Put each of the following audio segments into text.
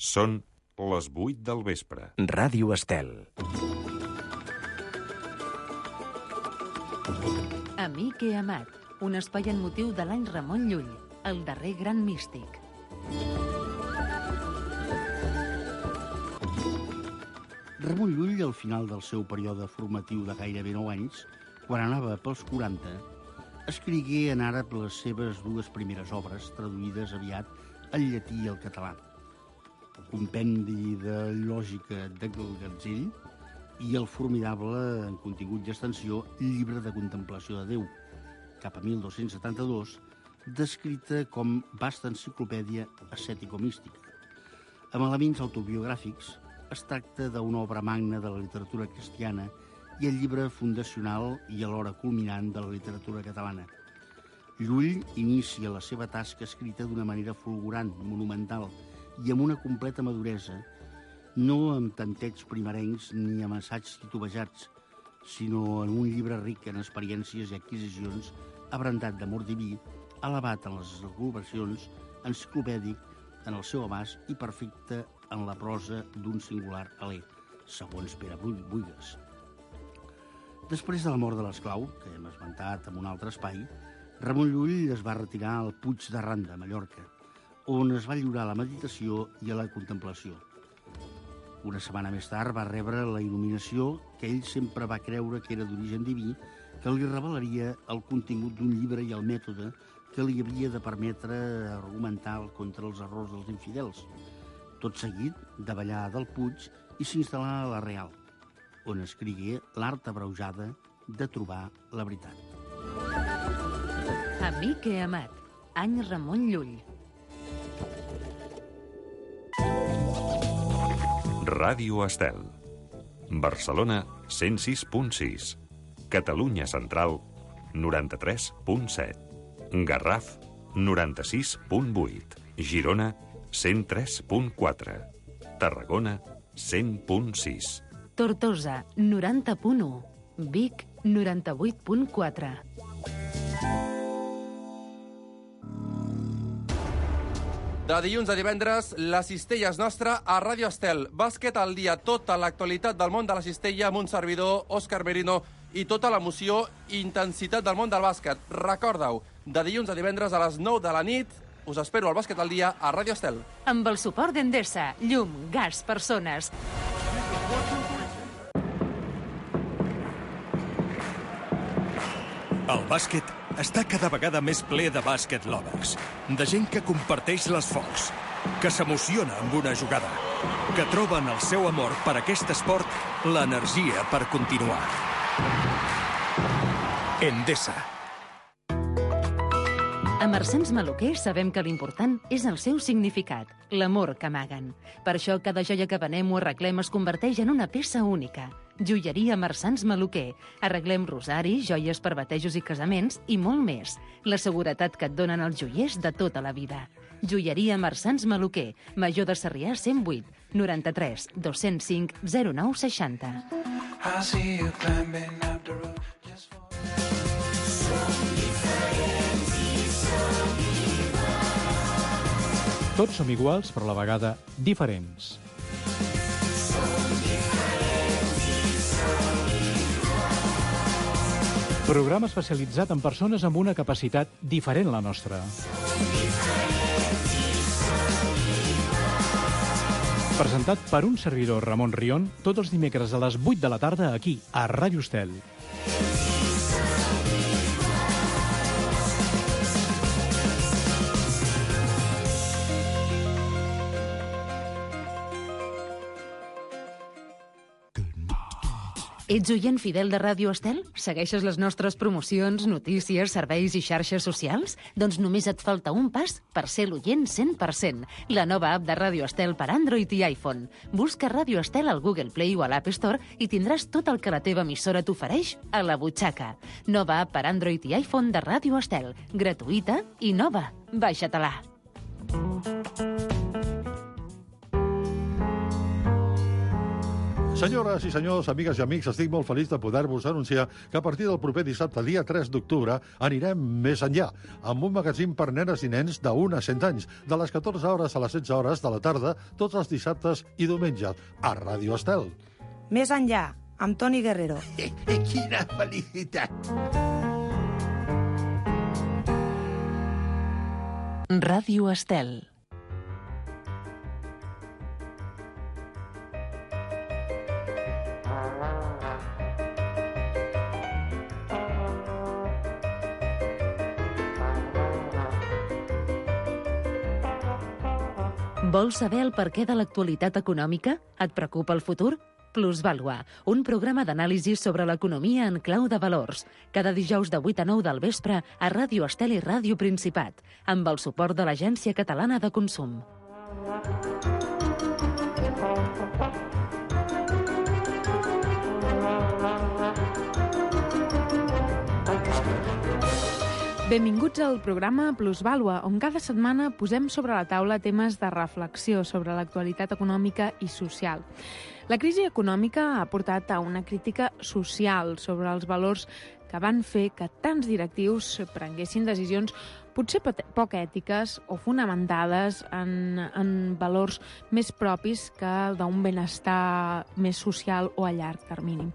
Són les 8 del vespre. Ràdio Estel. Amic i amat, un espai en motiu de l'any Ramon Llull, el darrer gran místic. Ramon Llull, al final del seu període formatiu de gairebé 9 anys, quan anava pels 40, escrigué en àrab les seves 2 primeres obres, traduïdes aviat al llatí i al català. Compendi de lògica de Gatzell i el formidable, en contingut i extensió, Llibre de contemplació de Déu, cap a 1272, descrita com vasta enciclopèdia ascètico-mística. Amb elements autobiogràfics, es tracta d'una obra magna de la literatura cristiana i el llibre fundacional i alhora culminant de la literatura catalana. Llull inicia la seva tasca escrita d'una manera fulgurant, monumental i amb una completa maduresa, no amb tantets primerencs ni amb assaigs titubejats, sinó en un llibre ric en experiències i adquisicions, abrandat d'amor diví, elevat en les elucubracions, enciclopèdic en el seu abast i perfecte en la prosa d'un singular alè, segons Pere Buigues. Després de la mort de l'esclau, que hem esmentat en un altre espai, Ramon Llull es va retirar al Puig de Randa, a Mallorca, on es va lliurar a la meditació i a la contemplació. Una setmana més tard va rebre la il·luminació que ell sempre va creure que era d'origen diví, que li revelaria el contingut d'un llibre i el mètode que li havia de permetre argumentar contra els errors dels infidels. Tot seguit, davallà del Puig i s'instal·là a la Real, on escrigué l'art abreujada de trobar la veritat. Amic i amat, any Ramon Llull. Ràdio Estel. Barcelona, 106.6. Catalunya Central, 93.7. Garraf, 96.8. Girona, 103.4. Tarragona, 100.6. Tortosa, 90.1. Vic, 98.4. De dilluns a divendres, la cistella és nostra a Ràdio Estel. Bàsquet al dia, tota l'actualitat del món de la cistella amb un servidor, Òscar Merino, i tota l'emoció i intensitat del món del bàsquet. Recorda-ho, de dilluns a divendres a les 9 de la nit, us espero al Bàsquet al dia a Ràdio Estel. Amb el suport d'Endesa, llum, gas, persones. El bàsquet està cada vegada més ple de bàsquet lovers, de gent que comparteix l'esforç, que s'emociona amb una jugada, que troben el seu amor per aquest esport, l'energia per continuar. Endesa. A Marsans Maluquer sabem que l'important és el seu significat, l'amor que amaguen. Per això cada joia que venem o arreglem es converteix en una peça única. Joieria Marsans Maluquer. Arreglem rosaris, joies per batejos i casaments i molt més. La seguretat que et donen els joiers de tota la vida. Joieria Marsans Maluquer. Major de Sarrià 108 93 205 0960. Tots som iguals, però a la vegada diferents. Programa especialitzat en persones amb una capacitat diferent a la nostra. Presentat per un servidor, Ramon Rion, tots els dimecres a les 8 de la tarda aquí, a Ràdio Estel. Ets oient fidel de Ràdio Estel? Segueixes les nostres promocions, notícies, serveis i xarxes socials? Doncs només et falta un pas per ser l'oient 100%. La nova app de Ràdio Estel per Android i iPhone. Busca Ràdio Estel al Google Play o a l'App Store i tindràs tot el que la teva emissora t'ofereix a la butxaca. Nova app per Android i iPhone de Ràdio Estel. Gratuïta i nova. Baixa-te-la. Senyores i senyors, amigues i amics, estic molt feliç de poder-vos anunciar que a partir del proper dissabte, dia 3 d'octubre, anirem més enllà, amb un magazín per nenes i nens de 1 a 100 anys, de les 14 hores a les 16 hores de la tarda, tots els dissabtes i diumenges, a Ràdio Estel. Més enllà, amb Toni Guerrero. Quina felicitat! Ràdio Estel. Vols saber el perquè de l'actualitat econòmica? Et preocupa el futur? Plusvàlua, un programa d'anàlisi sobre l'economia en clau de valors. Cada dijous de 8 a 9 del vespre a Ràdio Estel i Ràdio Principat, amb el suport de l'Agència Catalana de Consum. Benvinguts al programa Plusvàlua, on cada setmana posem sobre la taula temes de reflexió sobre l'actualitat econòmica i social. La crisi econòmica ha portat a una crítica social sobre els valors que van fer que tants directius prenguessin decisions potser poc ètiques o fonamentades en valors més propis que d'un benestar més social o a llarg termini.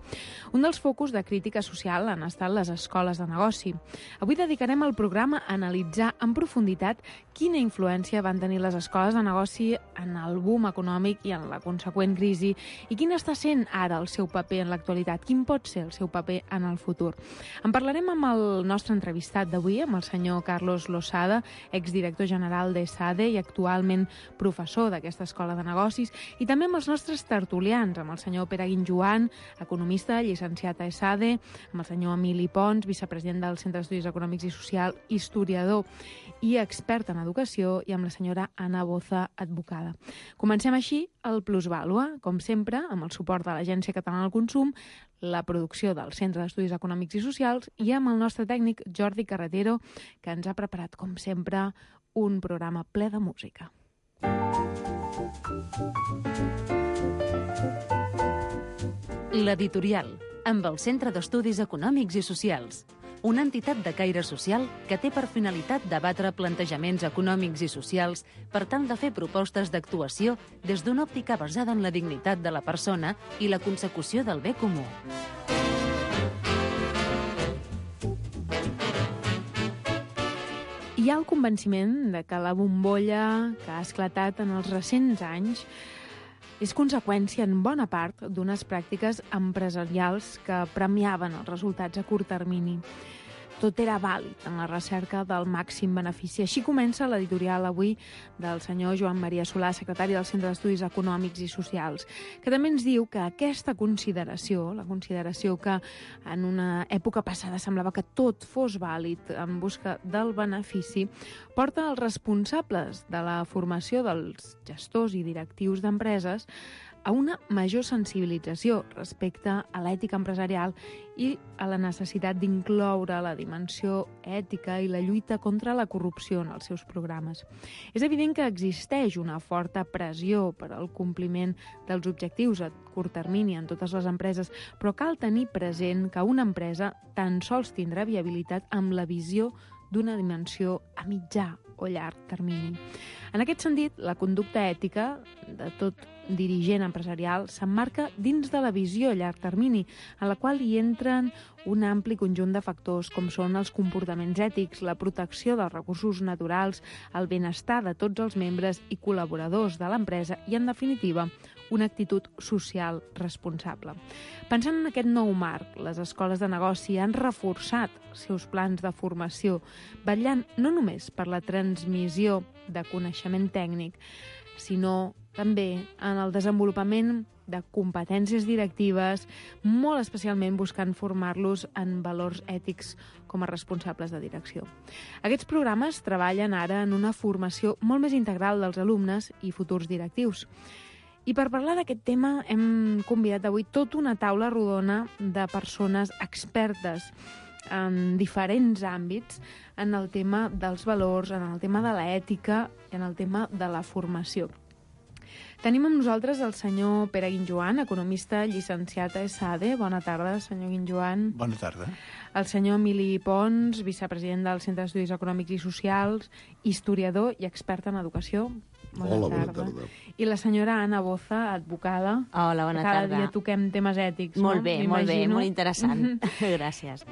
Un dels focus de crítica social han estat les escoles de negoci. Avui dedicarem el programa a analitzar en profunditat quina influència van tenir les escoles de negoci en el boom econòmic i en la conseqüent crisi i quin està sent ara el seu paper en l'actualitat, quin pot ser el seu paper en el futur. En parlarem amb el nostre entrevistat d'avui, amb el senyor Carlos Losada, exdirector general d'ESADE i actualment professor d'aquesta escola de negocis, i també amb els nostres tertulians, amb el senyor Pere Guinjoan, economista, llicenciat a ESADE, amb el senyor Emili Pons, vicepresident del Centre d'Estudis Econòmics i Social, historiador i expert en educació, i amb la senyora Anna Boza, advocada. Comencem així el Plusvàlua, com sempre, amb el suport de l'Agència Catalana del Consum, la producció del Centre d'Estudis Econòmics i Socials i amb el nostre tècnic Jordi Carretero, que ens ha preparat, com sempre, un programa ple de música. L'editorial, amb el Centre d'Estudis Econòmics i Socials, una entitat de caire social que té per finalitat debatre plantejaments econòmics i socials per tal de fer propostes d'actuació des d'una òptica basada en la dignitat de la persona i la consecució del bé comú. Hi ha el convenciment de que la bombolla que ha esclatat en els recents anys és conseqüència en bona part d'unes pràctiques empresarials que premiaven els resultats a curt termini. Tot era vàlid en la recerca del màxim benefici. Així comença l'editorial avui del senyor Joan Maria Solà, secretari del Centre d'Estudis Econòmics i Socials, que també ens diu que aquesta consideració, la consideració que en una època passada semblava que tot fos vàlid en busca del benefici, porta els responsables de la formació dels gestors i directius d'empreses a una major sensibilització respecte a l'ètica empresarial i a la necessitat d'incloure la dimensió ètica i la lluita contra la corrupció en els seus programes. És evident que existeix una forta pressió per al compliment dels objectius a curt termini en totes les empreses, però cal tenir present que una empresa tan sols tindrà viabilitat amb la visió d'una dimensió a mitjà o llarg termini. En aquest sentit, la conducta ètica de tot dirigent empresarial s'emmarca dins de la visió a llarg termini, en la qual hi entren un ampli conjunt de factors com són els comportaments ètics, la protecció dels recursos naturals, el benestar de tots els membres i col·laboradors de l'empresa i, en definitiva, una actitud social responsable. Pensant en aquest nou marc, les escoles de negoci han reforçat els seus plans de formació, vetllant no només per la transmissió de coneixement tècnic, sinó també en el desenvolupament de competències directives, molt especialment buscant formar-los en valors ètics com a responsables de direcció. Aquests programes treballen ara en una formació molt més integral dels alumnes i futurs directius. I per parlar d'aquest tema hem convidat avui tota una taula rodona de persones expertes en diferents àmbits en el tema dels valors, en el tema de l'ètica i en el tema de la formació. Tenim amb nosaltres el senyor Pere Guinjoan, economista llicenciat a ESADE. Bona tarda, senyor Guinjoan. Bona tarda. El senyor Emili Pons, vicepresident del Centre d'Estudis Econòmics i Socials, historiador i expert en educació. Bona tarda. I la senyora Anna Boza, advocada. Hola, bona tarda. Cada dia toquem temes ètics, molt no? Bé, molt interessant. Gràcies.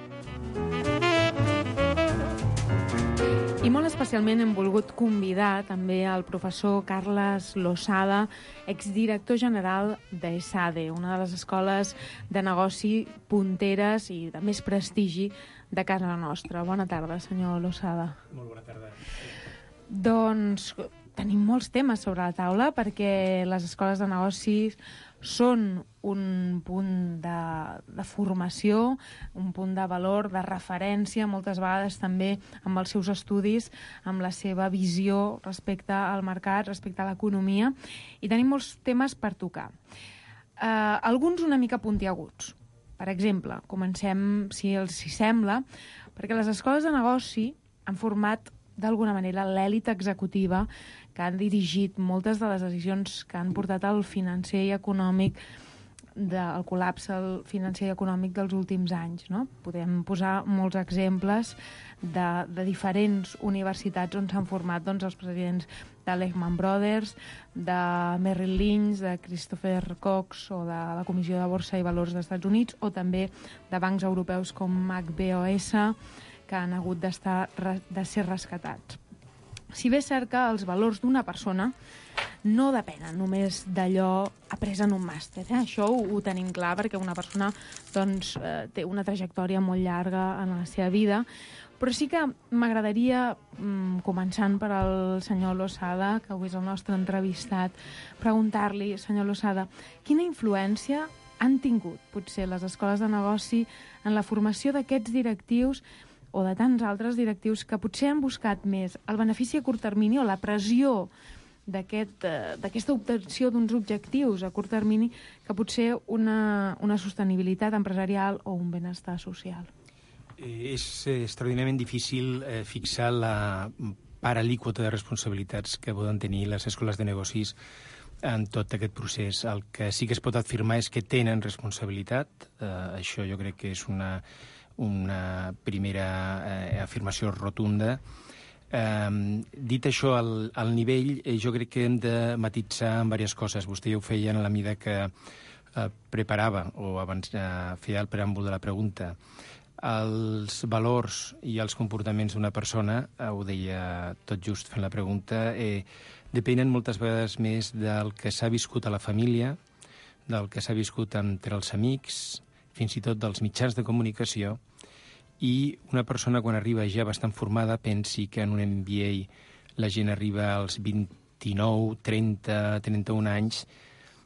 I molt especialment hem volgut convidar també el professor Carles Losada, exdirector general d'ESADE, una de les escoles de negoci punteres i de més prestigi de casa nostra. Bona tarda, senyor Losada. Molt bona tarda. Doncs tenim molts temes sobre la taula perquè les escoles de negocis són un punt de formació, un punt de valor, de referència, moltes vegades també amb els seus estudis, amb la seva visió respecte al mercat, respecte a l'economia, i tenim molts temes per tocar. Alguns una mica puntiaguts. Per exemple, comencem, si els hi sembla, perquè les escoles de negoci han format d'alguna manera l'èlit executiva que han dirigit moltes de les decisions que han portat al financer i econòmic, del col·lapse financer i econòmic dels últims anys, no? Podem posar molts exemples de diferents universitats on s'han format els presidents de Lehman Brothers, de Merrill Lynch, de Christopher Cox o de la Comissió de Borsa i Valors dels Estats Units, o també de bancs europeus com HBOS, que han hagut de ser rescatats. Si bé és cert que els valors d'una persona no depenen només d'allò après en un màster. Això ho tenim clar perquè una persona té una trajectòria molt llarga en la seva vida, però sí que m'agradaria, començant per al senyor Losada, que avui és el nostre entrevistat, preguntar-li, senyor Losada, quina influència han tingut potser les escoles de negoci en la formació d'aquests directius o de tants altres directius que potser han buscat més el benefici a curt termini o la pressió d'aquesta obtenció d'uns objectius a curt termini que potser una sostenibilitat empresarial o un benestar social. És extraordinàriament difícil fixar la part alíquota de responsabilitats que poden tenir les escoles de negocis en tot aquest procés. El que sí que es pot afirmar és que tenen responsabilitat. Això jo crec que és una primera afirmació rotunda. Dit això, al nivell, jo crec que hem de matitzar en diverses coses. Vostè ja ho feia en la mida que preparava o abans feia el preàmbul de la pregunta. Els valors i els comportaments d'una persona, ho deia tot just fent la pregunta, depenen moltes vegades més del que s'ha viscut a la família, del que s'ha viscut entre els amics, fins i tot dels mitjans de comunicació, i una persona quan arriba ja bastant formada pensi que en un MBA la gent arriba als 29, 30, 31 anys,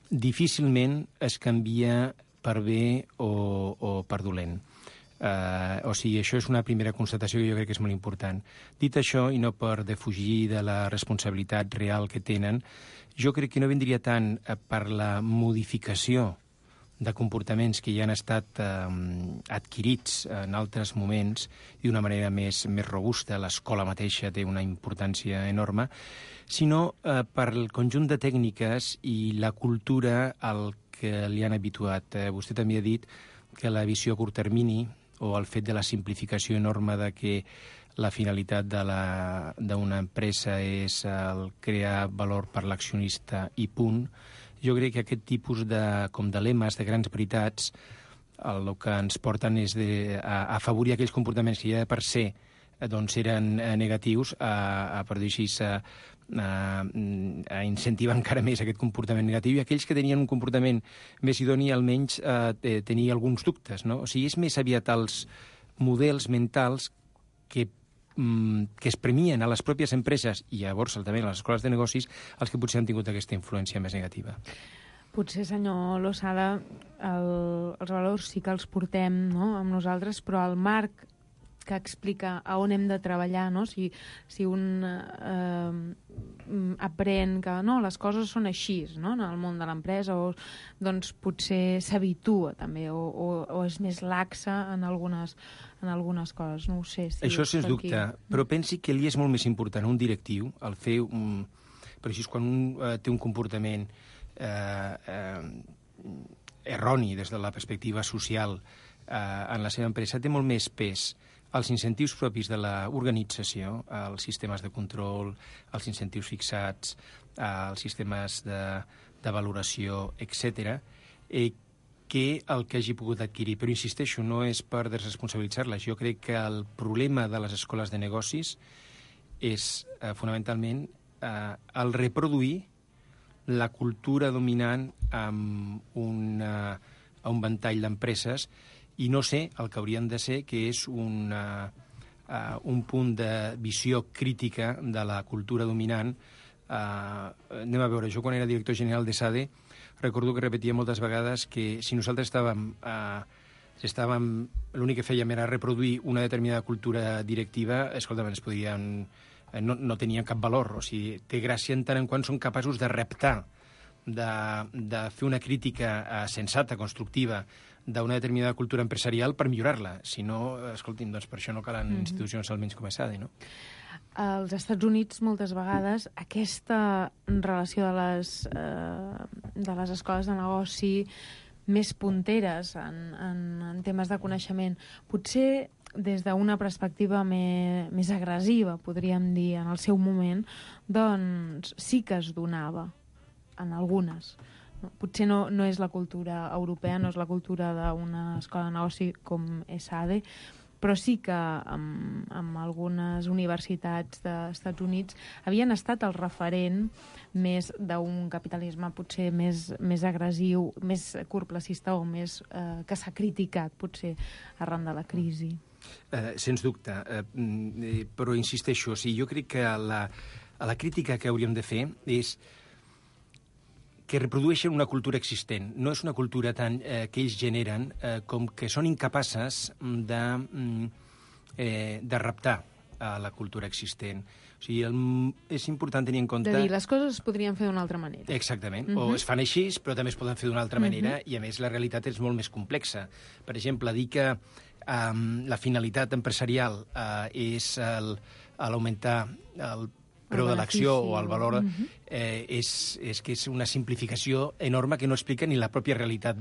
difícilment es canvia per bé o per dolent. O sigui, això és una primera constatació que jo crec que és molt important. Dit això, i no per defugir de la responsabilitat real que tenen, jo crec que no vindria tant per la modificació de comportaments que ja han estat adquirits en altres moments i d'una manera més robusta, l'escola mateixa té una importància enorme, sinó per el conjunt de tècniques i la cultura al que li han habituat. Vostè també ha dit que la visió a curt termini o el fet de la simplificació enorme de que la finalitat d'una empresa és el crear valor per l'accionista i punt. Jo crec que aquest tipus de lemes, de grans veritats, el que ens porten és a afavorir aquells comportaments que ja per ser eren negatius, per dir així, a incentivar encara més aquest comportament negatiu, i aquells que tenien un comportament més idoni almenys tenir alguns dubtes, no? O sigui, és més aviat els models mentals que es premien a les pròpies empreses i llavors també a les escoles de negocis els que potser han tingut aquesta influència més negativa. Potser, senyor Losada, els valors sí que els portem, no?, amb nosaltres, però el marc que explica a on hem de treballar, no? Si un aprèn que no, les coses són així, no?, en el món de l'empresa, doncs potser s'habitua també o és més laxa en algunes coses, no ho sé. Això sens dubte, però pensi que li és molt més important un directiu, el fer per així, quan un té un comportament erroni des de la perspectiva social en la seva empresa, té molt més pes els incentius propis de l'organització, els sistemes de control, els incentius fixats, els sistemes de valoració, etc., que el que hagi pogut adquirir. Però insisteixo, no és per desresponsabilitzar-les. Jo crec que el problema de les escoles de negocis és fonamentalment el reproduir la cultura dominant amb un ventall d'empreses i no sé el que haurien de ser, que és un punt de visió crítica de la cultura dominant. Anem a veure, jo quan era director general de SADE recordo que repetia moltes vegades que si nosaltres estàvem l'únic que fèiem era reproduir una determinada cultura directiva, escolta, ens podien... No tenien cap valor. O sigui, té gràcia en tant en quant són capaços de reptar, de fer una crítica sensata, constructiva, d'una determinada cultura empresarial per millorar-la. Si no, escolti'm, doncs per això no calen institucions almenys com a SADE, no? Als Estats Units, moltes vegades, aquesta relació de les escoles de negoci més punteres en temes de coneixement, potser des d'una perspectiva més agressiva, podríem dir, en el seu moment, doncs sí que es donava en algunes. Potser no és la cultura europea, no és la cultura d'una escola de negoci com ESADE, però sí que amb algunes universitats dels Estats Units havien estat el referent més d'un capitalisme potser més agressiu, més curtplacista o més que s'ha criticat potser arran de la crisi. Sens dubte, però insisteixo, jo crec que la crítica que hauríem de fer és que reprodueixen una cultura existent. No és una cultura tant que ells generen com que són incapaces de reptar a la cultura existent. O sigui, és important tenir en compte... De dir, les coses es podrien fer d'una altra manera. Exactament. O es fan així, però també es poden fer d'una altra manera, i a més la realitat és molt més complexa. Per exemple, dir que la finalitat empresarial és l'augmentar el preu de l'acció o el valor, és que és una simplificació enorme que no explica ni la pròpia realitat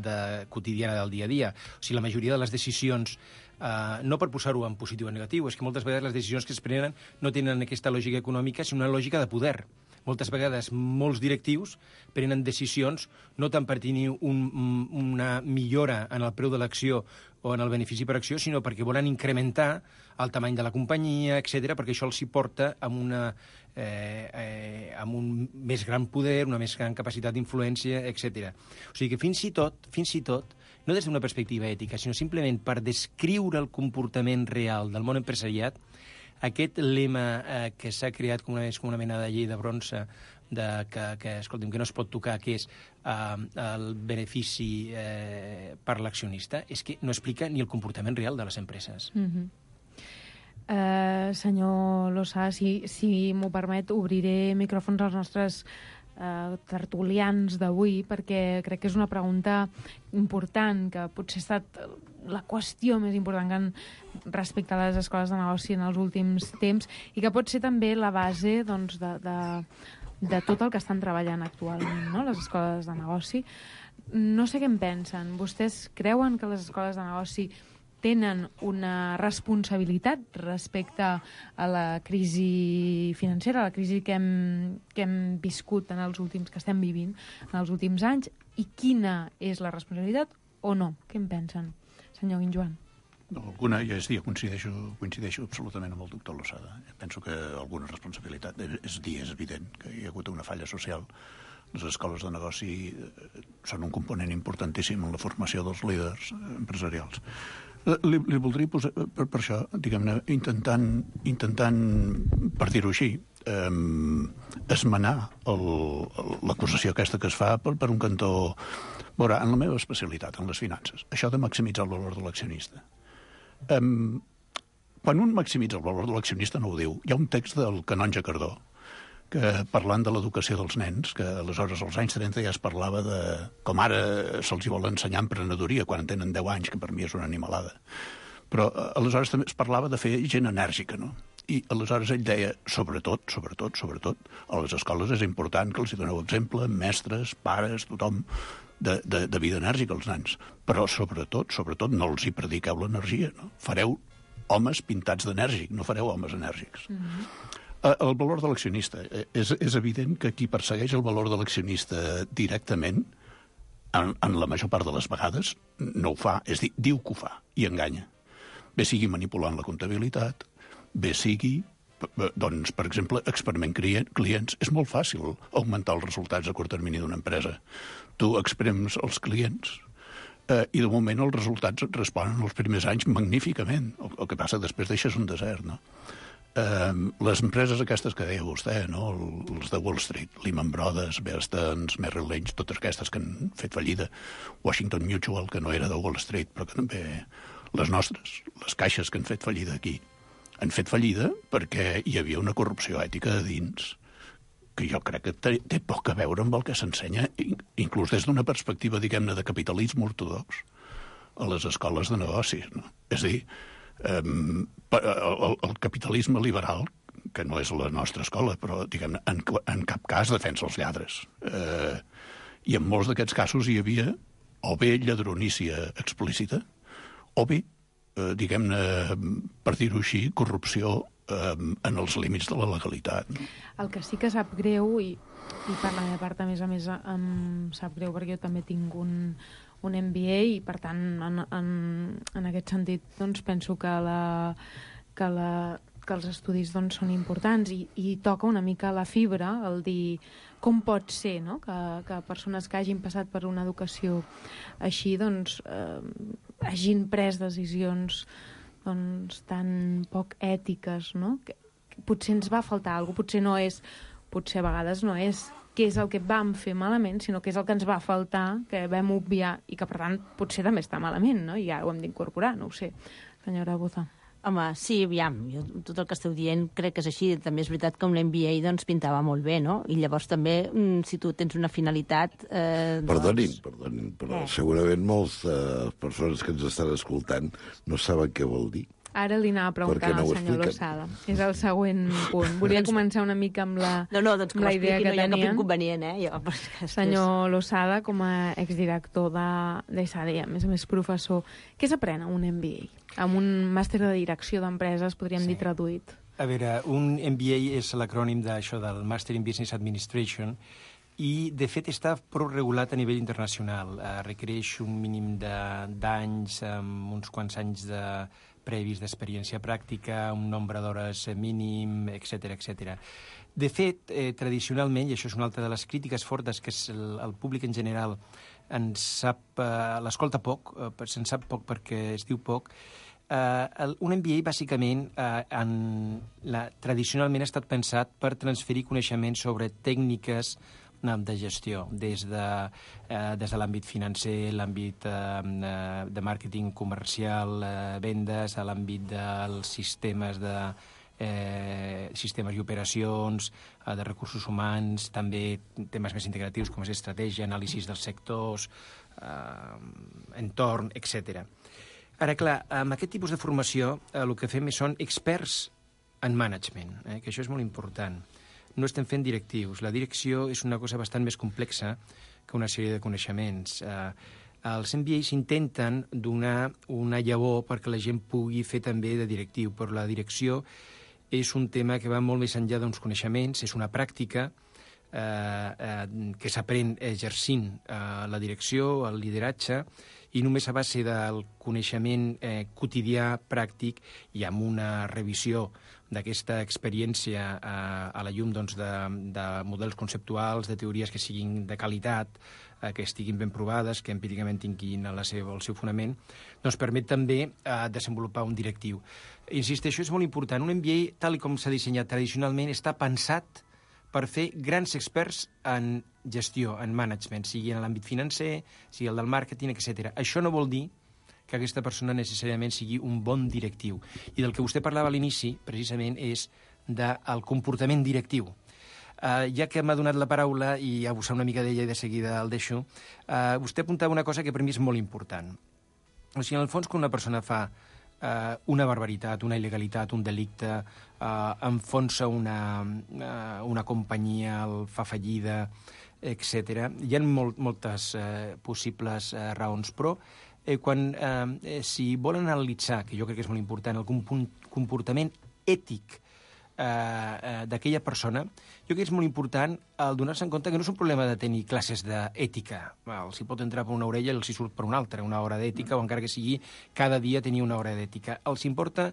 quotidiana del dia a dia. O sigui, la majoria de les decisions, no per posar-ho en positiu o negatiu, és que moltes vegades les decisions que es prenen no tenen aquesta lògica econòmica, sinó una lògica de poder. Moltes vegades molts directius prenen decisions no tant per tenir una millora en el preu de l'acció o en el benefici per acció, sinó perquè volen incrementar el tamany de la companyia, etc., perquè això els hi porta amb un més gran poder, una més gran capacitat d'influència, etc. O sigui que fins i tot, no des d'una perspectiva ètica, sinó simplement per descriure el comportament real del món empresariat, aquest lema que s'ha creat com una mena de llei de bronze escolti'm, que no es pot tocar, que és el benefici per l'accionista, és que no explica ni el comportament real de les empreses. Senyor Lossà, si m'ho permet, obriré micròfons als nostres tertulians d'avui, perquè crec que és una pregunta important, que potser ha estat la qüestió més important respecte a les escoles de negoci en els últims temps, i que pot ser també la base de tot el que estan treballant actualment, no? Les escoles de negoci. No sé què en pensen. Vostès creuen que les escoles de negoci tenen una responsabilitat respecte a la crisi financera, a la crisi que hem viscut que estem vivint en els últims anys, i quina és la responsabilitat o no? Què en pensen? Senyor Guinjoan. Alguna, ja és dir, coincideixo absolutament amb el doctor Losada. Penso que alguna responsabilitat és evident que hi ha hagut una falla social. Les escoles de negoci són un component importantíssim en la formació dels líders empresarials. Li voldria posar, per això, diguem-ne, intentant, per dir-ho així, esmenar l'acusació aquesta que es fa per un cantó. Veurà, en la meva especialitat, en les finances, això de maximitzar el valor de l'accionista. Quan un maximitza el valor de l'accionista no ho diu. Hi ha un text del canonge Cardó que, parlant de l'educació dels nens, que aleshores als anys 30 ja es parlava de com ara se'ls vol ensenyar emprenedoria quan tenen 10 anys, que per mi és una animalada. Però aleshores també es parlava de fer gent enèrgica, no? I aleshores ell deia, sobretot, a les escoles és important que els doneu exemple, mestres, pares, tothom, de vida enèrgica als nens. Però sobretot, no els hi prediqueu l'energia, no? Fareu homes pintats d'enèrgic, no fareu homes enèrgics. El valor de l'accionista. És evident que qui persegueix el valor de l'accionista directament, en la major part de les vegades, no ho fa. És dir, diu que ho fa i enganya. Bé sigui manipulant la comptabilitat, bé sigui, doncs, per exemple, experiment clients. És molt fàcil augmentar els resultats a curt termini d'una empresa. Tu exprems els clients i de moment els resultats et responen els primers anys magníficament. El que passa que després deixes un desert, no? Les empreses aquestes que deia vostè, no? Els de Wall Street, Lehman Brothers, Bear Stearns, Merrill Lynch, totes aquestes que han fet fallida, Washington Mutual, que no era de Wall Street, però que també les nostres, les caixes que han fet fallida aquí, han fet fallida perquè hi havia una corrupció ètica a dins que jo crec que té poc a veure amb el que s'ensenya, inclús des d'una perspectiva, diguem-ne, de capitalisme ortodox a les escoles de negocis, no? És a dir, el capitalisme liberal, que no és la nostra escola, però, diguem-ne, en cap cas defensa els lladres. I en molts d'aquests casos hi havia o bé lladronícia explícita, o bé, diguem-ne, per dir-ho així, corrupció en els límits de la legalitat. No? El que sí que sap greu, i per la meva part, a més, em sap greu perquè jo també tinc un MBA i, per tant, en aquest sentit, doncs, penso que els estudis, doncs, són importants i toca una mica la fibra, el dir com pot ser, no? que persones que hagin passat per una educació així, doncs, hagin pres decisions doncs, tan poc ètiques, no? Que potser ens va faltar alguna cosa, potser no és, potser a vegades no és què és el que vam fer malament, sinó què és el que ens va faltar, que vam obviar i que, per tant, potser també està malament, no? I ara ho hem d'incorporar, no ho sé. Senyora Boza. Home, sí, aviam, jo, tot el que esteu dient crec que és així. També és veritat que un MBA doncs, pintava molt bé, no? I llavors també, si tu tens una finalitat... Perdonin, però segurament moltes persones que ens estan escoltant no saben què vol dir. Ara li anava a preguntar al senyor Losada. És el següent punt. Volia començar una mica amb la, doncs amb la idea que no hi ha cap tenien. Inconvenient, Senyor Losada, com a exdirector d'ESADE, a més professor, què s'aprèn a un MBA? Amb un màster de direcció d'empreses, podríem dir traduït. A veure, un MBA és l'acrònim d'això del Master in Business Administration i, de fet, està prou regulat a nivell internacional. Requereix un mínim d'anys, amb uns quants anys previs d'experiència pràctica, un nombre d'hores mínim, etc etc. De fet, tradicionalment, i això és una altra de les crítiques fortes que el públic en general l'escolta poc, se'n sap poc perquè es diu poc, un MBA, bàsicament, tradicionalment ha estat pensat per transferir coneixements sobre tècniques de gestió, des de l'àmbit financer, l'àmbit de màrqueting comercial, vendes, a l'àmbit dels sistemes i operacions, de recursos humans, també temes més integratius com és estratègia, anàlisis dels sectors, entorn, etc. Ara, clar, amb aquest tipus de formació el que fem són experts en management, que això és molt important. No estem fent directius. La direcció és una cosa bastant més complexa que una sèrie de coneixements. Els MBAs intenten donar una llavor perquè la gent pugui fer també de directiu, però la direcció és un tema que va molt més enllà d'uns coneixements, és una pràctica que s'aprèn exercint la direcció, el lideratge, i només a base del coneixement quotidià, pràctic, i amb una revisió d'aquesta experiència a la llum doncs, de models conceptuals, de teories que siguin de qualitat, que estiguin ben provades, que empíricament tinguin el seu fonament, doncs permet també desenvolupar un directiu. Insisteixo, és molt important. Un MBA, tal com s'ha dissenyat tradicionalment, està pensat per fer grans experts en gestió, en management, sigui en l'àmbit financer, sigui el del màrqueting, etc. Això no vol dir que aquesta persona necessàriament sigui un bon directiu. I del que vostè parlava a l'inici, precisament, és del comportament directiu. Ja que m'ha donat la paraula i abusar una mica d'ella i de seguida el deixo, vostè apuntava una cosa que per mi és molt important. O sigui, en el fons, quan una persona fa una barbaritat, una il·legalitat, un delicte, enfonsa una companyia, el fa fallida, etc. Hi ha moltes possibles raons, però si volen analitzar, que jo crec que és molt important, el comportament ètic d'aquella persona, jo crec que és molt important el donar-se en compte que no és un problema de tenir classes d'ètica. Els hi pot entrar per una orella i els hi surt per una altra, una hora d'ètica, o encara que sigui cada dia tenir una hora d'ètica. Els importa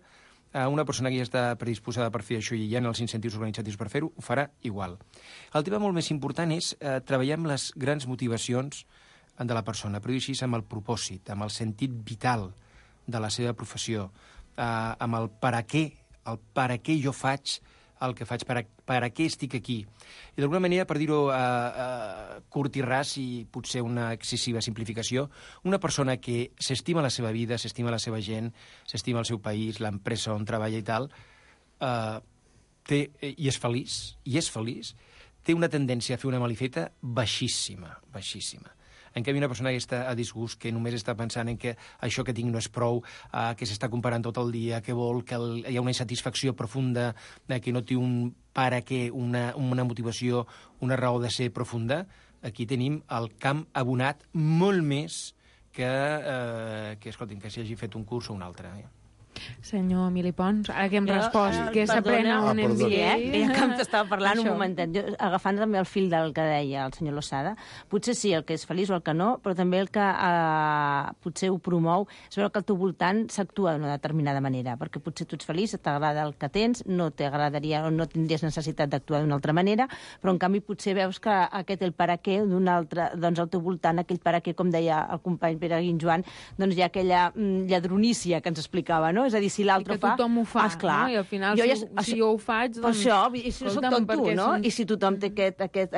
a una persona que ja està predisposada per fer això i hi ha els incentius organitzatius per fer-ho, ho farà igual. El tema molt més important és treballar amb les grans motivacions de la persona, però així amb el propòsit, amb el sentit vital de la seva professió, amb el per a què jo faig el que faig, per a què estic aquí. I d'alguna manera, per dir-ho curt i ras i potser una excessiva simplificació, una persona que s'estima la seva vida, s'estima la seva gent, s'estima el seu país, l'empresa on treballa i tal, i és feliç, té una tendència a fer una malifeta baixíssima. En canvi, una persona que està a disgust, que només està pensant en que això que tinc no és prou, que s'està comparant tot el dia, que vol, que hi ha una insatisfacció profunda, que no té un per a què, una motivació, una raó de ser profunda, aquí tenim el camp abonat molt més que escoltin, que s'hi hagi fet un curs o un altre. Senyor Emili Pons, ara que hem respost que s'aprèn a un MBA... Ja que t'estava parlant un momentet, agafant també el fil del que deia el senyor Losada, potser sí, el que és feliç o el que no, però també el que potser ho promou és veure que al teu voltant s'actua d'una determinada manera, perquè potser tu ets feliç, t'agrada el que tens, no t'agradaria o no tindries necessitat d'actuar d'una altra manera, però en canvi potser veus que aquest el per a què d'un altre, doncs al teu voltant, aquell per a què, com deia el company Pere Guinjoan, doncs hi ha aquella lladronícia que ens explicava, no? És a dir, si l'altre fa... I que tothom ho fa, no? I al final, si jo ho faig, doncs... Per això, i si soc tot tu, no? I si tothom té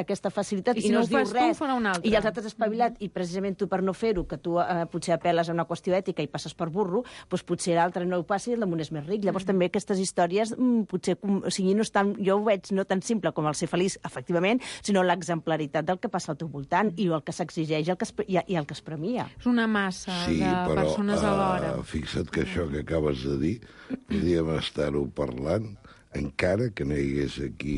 aquesta facilitat, i si no es diu res, i els altres espavilat, i precisament tu per no fer-ho, que tu potser apel·les a una qüestió ètica i passes per burro, doncs potser l'altre no ho passi i el damunt és més ric. Llavors també aquestes històries, potser, o sigui, no estan, jo ho veig no tan simple com el ser feliç, efectivament, sinó l'exemplaritat del que passa al teu voltant i el que s'exigeix i el que es premia. És una massa de persones alhora. Fixa't que això que acabes de dir, podríem estar-ho parlant encara que no hi hagués aquí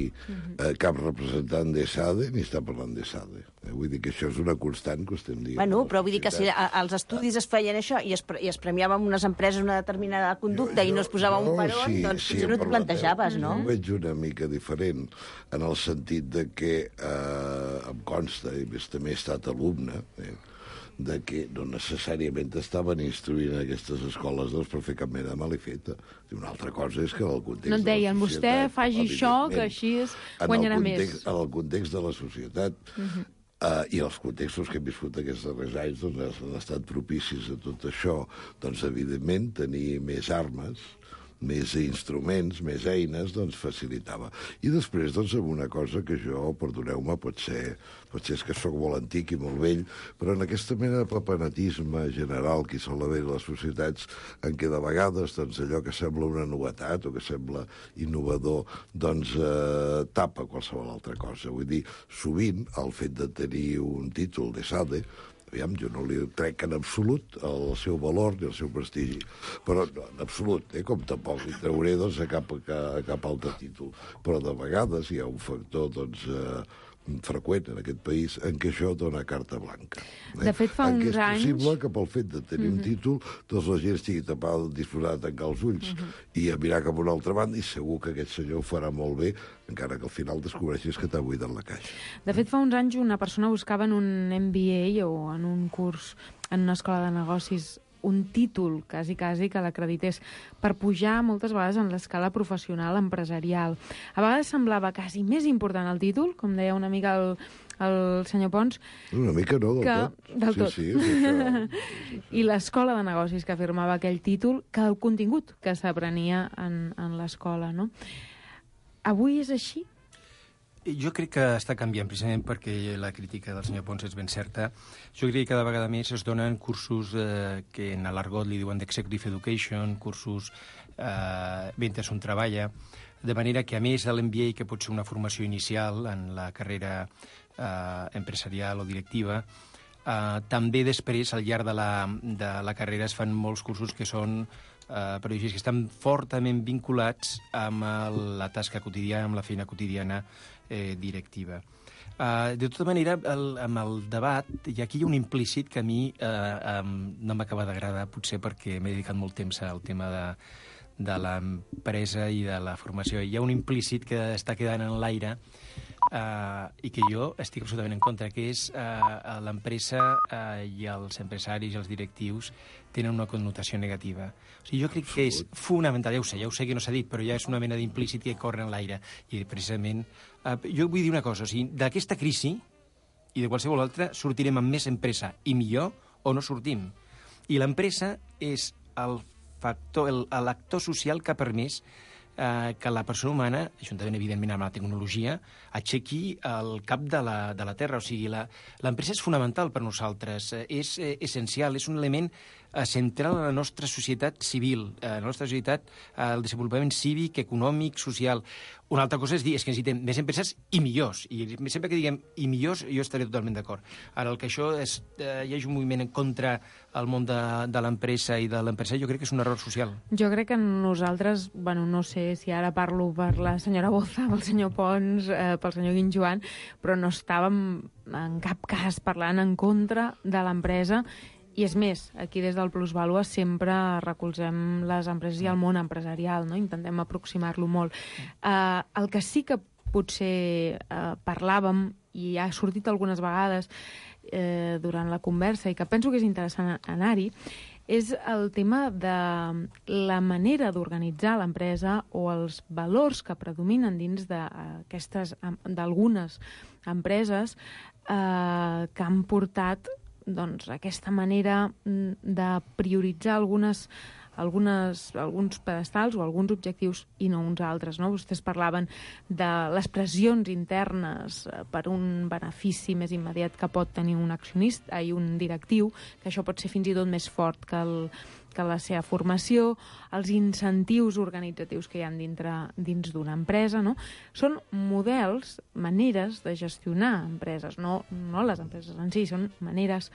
cap representant d'ESADE ni està parlant d'ESADE. Vull dir que això és una constant que estem dient. Bueno, però vull dir que si als estudis es feien això i es premiava amb unes empreses una determinada conducta i no es posava un peron, doncs potser no t'ho plantejaves, no? Jo ho veig una mica diferent en el sentit de que em consta, i també he estat alumne, de que no necessàriament estaven instruint aquestes escoles per fer cap mena de malifeta. Una altra cosa és que en el context no et deien, vostè faci això, que així guanyarà més. En el context de la societat i els contextos que hem viscut aquests darrers anys han estat propicis a tot això, doncs evidentment tenir més armes, més instruments, més eines, doncs facilitava. I després, doncs, amb una cosa que jo, perdoneu-me, potser és que sóc molt antic i molt vell, però en aquesta mena de papenatisme general que hi sol haver a les societats, en què de vegades doncs, allò que sembla una novetat o que sembla innovador, doncs tapa qualsevol altra cosa. Vull dir, sovint el fet de tenir un títol d'ESADE, aviam, jo no li trec en absolut el seu valor ni el seu prestigi, però no, en absolut, com tampoc li trauré doncs, a cap altre títol. Però de vegades hi ha un factor doncs, freqüent en aquest país en què això dona carta blanca. De fet, fa uns anys... És possible que pel fet de tenir un títol doncs la gent estigui tapada, disposada a tancar els ulls i a mirar cap a una altra banda, i segur que aquest senyor ho farà molt bé, encara que al final descobreixis que t'ha buidat la caixa. De fet, fa uns anys una persona buscava en un MBA o en un curs en una escola de negocis un títol, quasi que l'acredités, per pujar moltes vegades en l'escala professional empresarial. A vegades semblava quasi més important el títol, com deia una mica el senyor Pons. Una mica no, del tot. Sí, això. I l'escola de negocis que afirmava aquell títol, que el contingut que s'aprenia en l'escola, no? Avui és així? Jo crec que està canviant, precisament perquè la crítica del senyor Pons és ben certa. Jo crec que cada vegada més es donen cursos que en l'argot li diuen d'Executive Education, cursos mentre un treballa, de manera que a més de l'MBA, que pot ser una formació inicial en la carrera empresarial o directiva, també després, al llarg de la carrera, es fan molts cursos que són periodistes que estan fortament vinculats amb la tasca quotidiana, amb la feina quotidiana directiva. De tota manera, amb el debat, i aquí hi ha un implícit que a mi no m'acaba d'agradar, potser perquè m'he dedicat molt temps al tema de l'empresa i de la formació. Hi ha un implícit que està quedant en l'aire i que jo estic absolutament en contra, que és l'empresa i els empresaris i els directius tenen una connotació negativa. O sigui, jo crec que és fonamental, ja ho sé que no s'ha dit, però ja és una mena d'implícit que corre en l'aire. I precisament, jo vull dir una cosa, o sigui, d'aquesta crisi i de qualsevol altra sortirem amb més empresa i millor o no sortim. I l'empresa és el factor, l'actor social que ha permès que la persona humana, juntament evidentment amb la tecnologia, aixequi el cap de la Terra. O sigui, l'empresa és fonamental per nosaltres, és essencial, és un element central a la nostra societat civil, a la nostra societat, al desenvolupament cívic, econòmic, social. Una altra cosa és dir, és que necessitem més empreses i millors. I sempre que diguem i millors, jo estaré totalment d'acord. Ara, el que això hi hagi un moviment en contra al món de l'empresa i de l'empresari, jo crec que és un error social. Jo crec que nosaltres, bueno, no sé si ara parlo per la senyora Boza, pel senyor Pons, pel senyor Guinjoan, però no estàvem en cap cas parlant en contra de l'empresa. I és més, aquí des del Plusvàlua sempre recolzem les empreses i el món empresarial, no? Intentem aproximar-lo molt. El que sí que potser parlàvem, i ha sortit algunes vegades durant la conversa, i que penso que és interessant anar-hi, és el tema de la manera d'organitzar l'empresa o els valors que predominen dins d'algunes empreses que han portat aquesta manera de prioritzar alguns pedestals o alguns objectius i no uns altres, no? Vostès parlaven de les pressions internes per un benefici més immediat que pot tenir un accionista i un directiu, que això pot ser fins i tot més fort que la seva formació, els incentius organitzatius que hi ha dins d'una empresa, no? Són models, maneres de gestionar empreses, no les empreses en si, són maneres.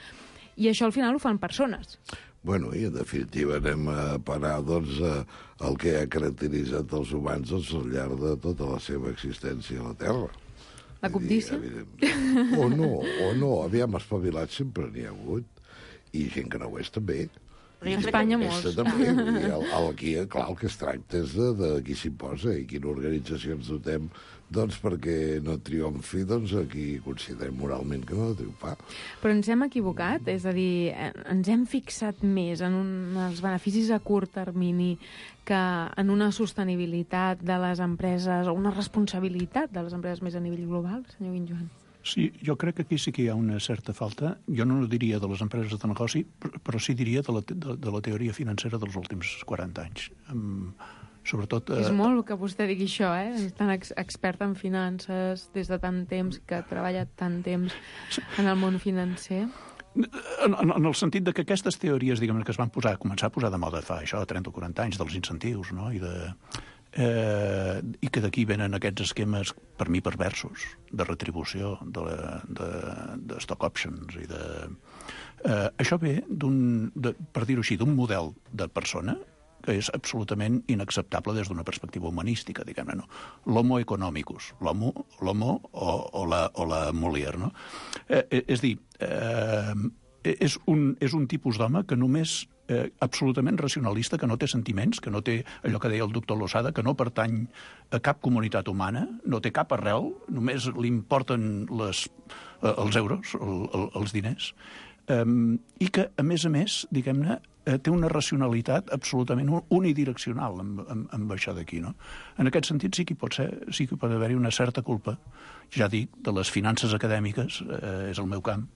I això al final ho fan persones. Bueno, i en definitiva anem a parar el que ha caracteritzat els humans al llarg de tota la seva existència a la Terra. La cobdícia? O no, aviam, espavilats sempre n'hi ha hagut, i gent que no ho és també. A Espanya molts. També. Aquí, clar, el que es tracta és de qui s'hi posa i quina organització ens dotem perquè no triomfi qui considerem moralment que no ha de triomfar. Però ens hem equivocat? És a dir, ens hem fixat més en els beneficis a curt termini que en una sostenibilitat de les empreses o una responsabilitat de les empreses més a nivell global, senyor Guinjoan? Sí, jo crec que aquí sí que hi ha una certa falta. Jo no diria de les empreses de negoci, però sí diria de la teoria financera dels últims 40 anys. Sobretot... És molt que vostè digui això, És tan expert en finances des de tant temps, que ha treballat tant temps en el món financer. En el sentit de que aquestes teories, diguem, que es van començar a posar de moda fa 30 o 40 anys, dels incentius, no?, i que d'aquí venen aquests esquemes, per mi, perversos, de retribució, de stock options i de... Això ve per dir-ho així, d'un model de persona que és absolutament inacceptable des d'una perspectiva humanística, diguem-ne, no? L'homo economicus, l'homo o la Molière, no? És dir, és un tipus d'home que només absolutament racionalista, que no té sentiments, que no té allò que deia el doctor Losada, que no pertany a cap comunitat humana, no té cap arrel, només li importen els euros, els diners, i que, a més, diguem-ne, té una racionalitat absolutament unidireccional amb això d'aquí, no? En aquest sentit sí que pot haver-hi una certa culpa, ja dic, de les finances acadèmiques, és el meu camp,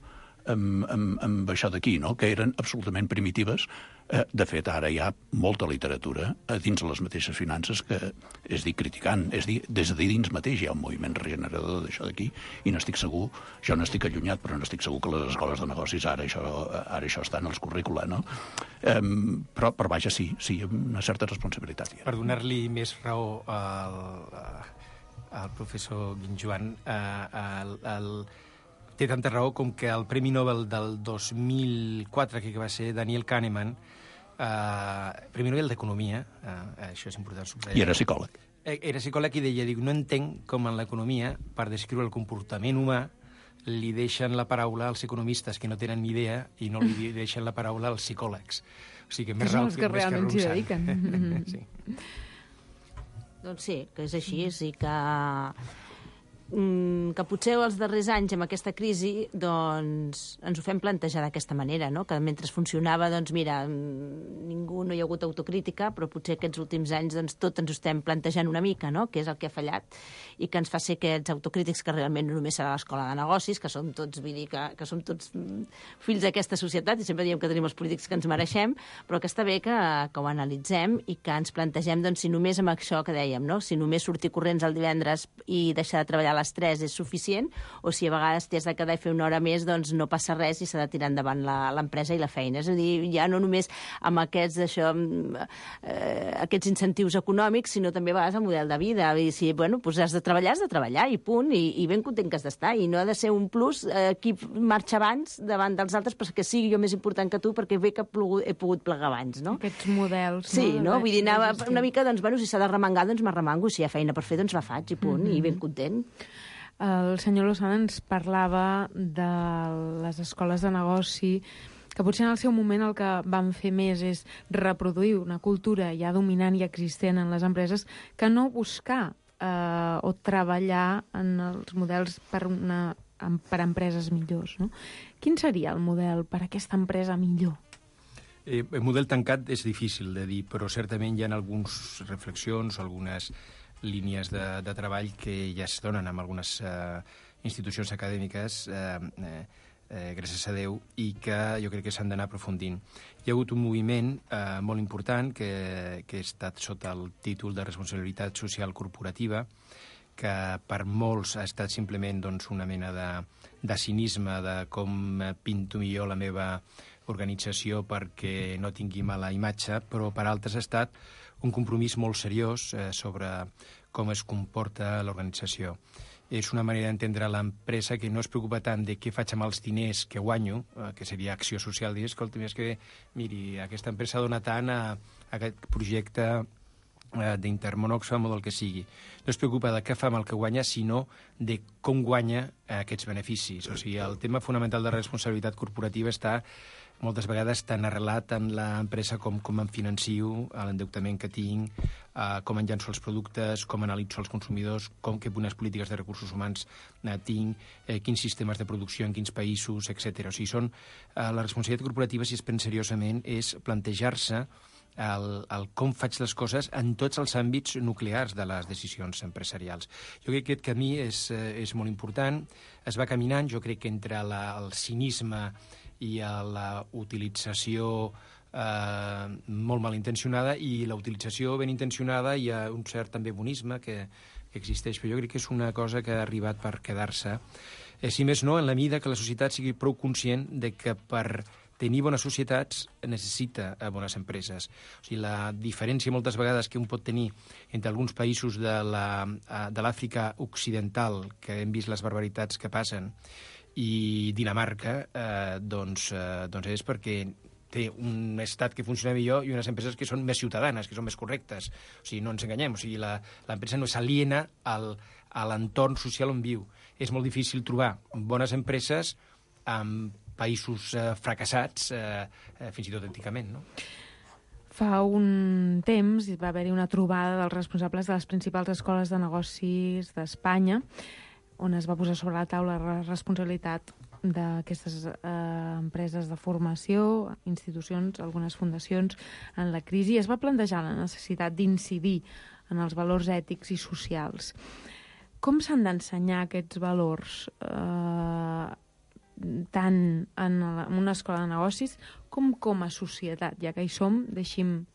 amb això d'aquí, no?, que eren absolutament primitives. De fet, ara hi ha molta literatura dins les mateixes finances que, és dir, criticant, és dir, des de dins mateix hi ha un moviment regenerador d'això d'aquí, i n'estic segur, jo n'estic allunyat, però n'estic segur que les escoles de negocis ara això està en els currícula, no? Però vaja, sí, una certa responsabilitat. Per donar-li més raó al professor Guinjoan, té tanta raó com que el Premi Nobel del 2004, que va ser Daniel Kahneman, primer nivell d'economia, això és important subratllar. I era psicòleg. Era psicòleg i deia, no entenc com en l'economia, per descriure el comportament humà, li deixen la paraula als economistes que no tenen ni idea i no li deixen la paraula als psicòlegs. O sigui, més alt que realment s'hi dediquen. Sí. Doncs sí, que és així, sí que potser els darrers anys amb aquesta crisi doncs ens ho fem plantejar d'aquesta manera, no? Que mentre funcionava, doncs mira, no hi ha hagut autocrítica, però potser aquests últims anys doncs tot ens ho estem plantejant una mica, no? Que és el que ha fallat i que ens fa ser aquests autocrítics que realment no només serà l'escola de negocis, que som tots, vull dir, que som tots fills d'aquesta societat i sempre diem que tenim els polítics que ens mereixem, però que està bé que ho analitzem i que ens plantegem doncs si només amb això que dèiem, no? Si només sortir corrents el divendres i deixar de treballar a les 3 és suficient, o si a vegades t'has de quedar i fer una hora més, doncs no passa res i s'ha de tirar endavant l'empresa i la feina. És a dir, ja no només amb aquests incentius econòmics, sinó també a vegades el model de vida. I si, doncs has de treballar i punt, i ben content que has d'estar. I no ha de ser un plus qui marxa abans davant dels altres perquè sigui jo més important que tu, perquè bé que he pogut plegar abans, no? Aquests models. Sí, no? Vull dir, anava una mica, doncs, si s'ha de remengar, doncs m'arremango, si hi ha feina per fer, doncs la faig, i punt, i ben content. El senyor Lozada ens parlava de les escoles de negoci, que potser en el seu moment el que van fer més és reproduir una cultura ja dominant i existent en les empreses que no buscar o treballar en els models per empreses millors. No? Quin seria el model per a aquesta empresa millor? El model tancat és difícil de dir, però certament hi ha algunes reflexions, algunes línies de treball que ja es donen en algunes institucions acadèmiques, gràcies a Déu, i que jo crec que s'han d'anar aprofundint. Hi ha hagut un moviment molt important que ha estat sota el títol de responsabilitat social corporativa, que per molts ha estat simplement doncs, una mena de cinisme de com pinto millor la meva organització perquè no tingui mala imatge, però per altres ha estat un compromís molt seriós sobre com es comporta l'organització. És una manera d'entendre l'empresa que no es preocupa tant de què faig amb els diners que guanyo, que seria acció social, dir, escolta, és que, miri, aquesta empresa dona tant a aquest projecte d'Intermón-Oxfam o del que sigui. No es preocupa de què fa amb el que guanya, sinó de com guanya aquests beneficis. O sigui, el tema fonamental de responsabilitat corporativa està moltes vegades tan arrelat en l'empresa com em financio, l'endeutament que tinc, com en llanço els productes, com analitzo els consumidors, quines polítiques de recursos humans tinc, quins sistemes de producció en quins països, etc. O sigui, la responsabilitat corporativa, si es pren seriosament, és plantejar-se el com faig les coses en tots els àmbits nuclears de les decisions empresarials. Jo crec que aquest camí és molt important, es va caminant, jo crec que entre el cinisme i la utilització molt malintencionada i la utilització ben intencionada i un cert també bonisme que existeix, però jo crec que és una cosa que ha arribat per quedar-se. Si més no, en la mida que la societat sigui prou conscient de que per tenir bones societats necessita bones empreses. O sigui, la diferència moltes vegades que un pot tenir entre alguns països de l'Àfrica occidental, que hem vist les barbaritats que passen, i Dinamarca, doncs és perquè té un estat que funciona millor i unes empreses que són més ciutadanes, que són més correctes. O sigui, no ens enganyem, o sigui, l'empresa no s'aliena a l'entorn social on viu. És molt difícil trobar bones empreses en països fracassats, fins i tot anticament, no? Fa un temps va haver-hi una trobada dels responsables de les principals escoles de negocis d'Espanya, on es va posar sobre la taula la responsabilitat d'aquestes empreses de formació, institucions, algunes fundacions, en la crisi. Es va plantejar la necessitat d'incidir en els valors ètics i socials. Com s'han d'ensenyar aquests valors tant en una escola de negocis com a societat? Ja que hi som, deixi'm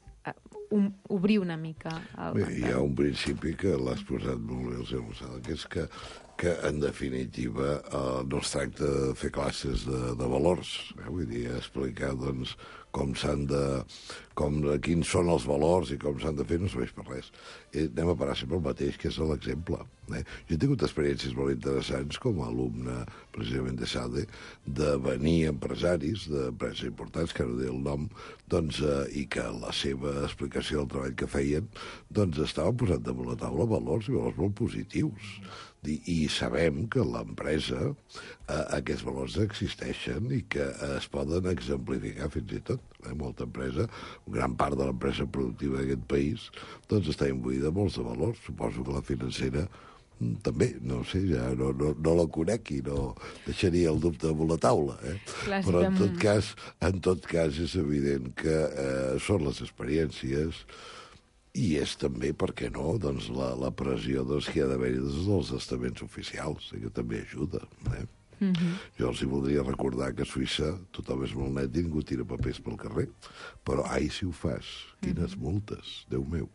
obrir una mica el Bé, hi ha un principi que l'has posat molt bé, el senyor Lozada, que és que en definitiva no es tracta de fer classes de valors, vull dir, explicar doncs, quins són els valors i com s'han de fer no serveix per res. Anem a parar sempre el mateix, que és l'exemple. Jo he tingut experiències molt interessants com a alumne, precisament de SADE, de venir empresaris d'empreses importants, que no diré el nom, doncs, i que la seva explicació del treball que feien doncs, estava posant damunt la taula valors i valors molt positius. I sabem que l'empresa aquests valors existeixen i que es poden exemplificar fins i tot. Molta empresa, gran part de l'empresa productiva d'aquest país, doncs està imbuïda de molts de valors. Suposo que la financera també, no sé, ja no la conec i no deixaria el dubte damunt la taula. Però en tot cas és evident que són les experiències i és també, per què no, doncs la pressió que hi ha d'haver-hi dels estaments oficials, que també ajuda. Jo els hi voldria recordar que a Suïssa tothom és molt net i ningú tira papers pel carrer. Però, ai, si ho fas, quines multes, Déu meu.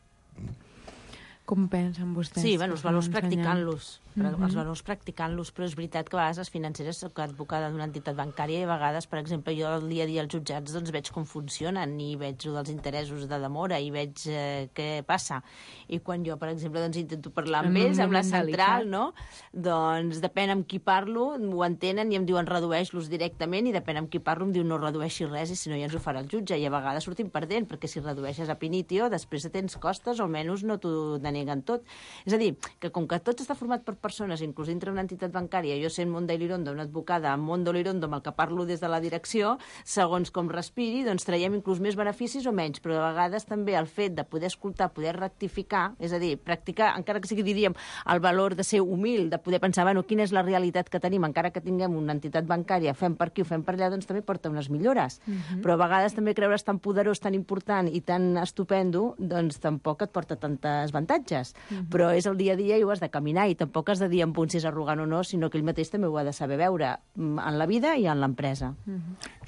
Com pensen vostès? Sí, bueno, els valors practicant-los. Els valors practicant-los, però és veritat que a vegades les financeres, soc advocada d'una entitat bancària, i a vegades, per exemple, jo el dia a dia als jutjats doncs, veig com funcionen, i veig dels interessos de demora, i veig què passa. I quan jo, per exemple, doncs, intento parlar amb ells, amb la central, no? Doncs depèn amb qui parlo, ho entenen i em diuen redueix-los directament, i depèn amb qui parlo em diu no redueixi res, i si no ja ens ho farà el jutge. I a vegades sortim perdent, perquè si redueixes a pinitio, després tens costes, o almenys no t'ho deneguen tot. És a dir, que com que tot està format per persones, inclús dintre una entitat bancària, jo sent Monda Ilirondo, una advocada amb Monda Ilirondo, amb el que parlo des de la direcció, segons com respiri, doncs traiem inclús més beneficis o menys, però a vegades també el fet de poder escoltar, poder rectificar, és a dir, practicar, encara que sigui, diríem, el valor de ser humil, de poder pensar, bueno, quina és la realitat que tenim, encara que tinguem una entitat bancària, fem per aquí o fem per allà, doncs també porta unes millores. Però a vegades també creure's tan poderós, tan important i tan estupendo, doncs tampoc et porta tantes avantatges. Però és el dia a dia i ho has de caminar, i tampoc has de dir en punt si és arrogant o no, sinó que ell mateix també ho ha de saber veure en la vida i en l'empresa.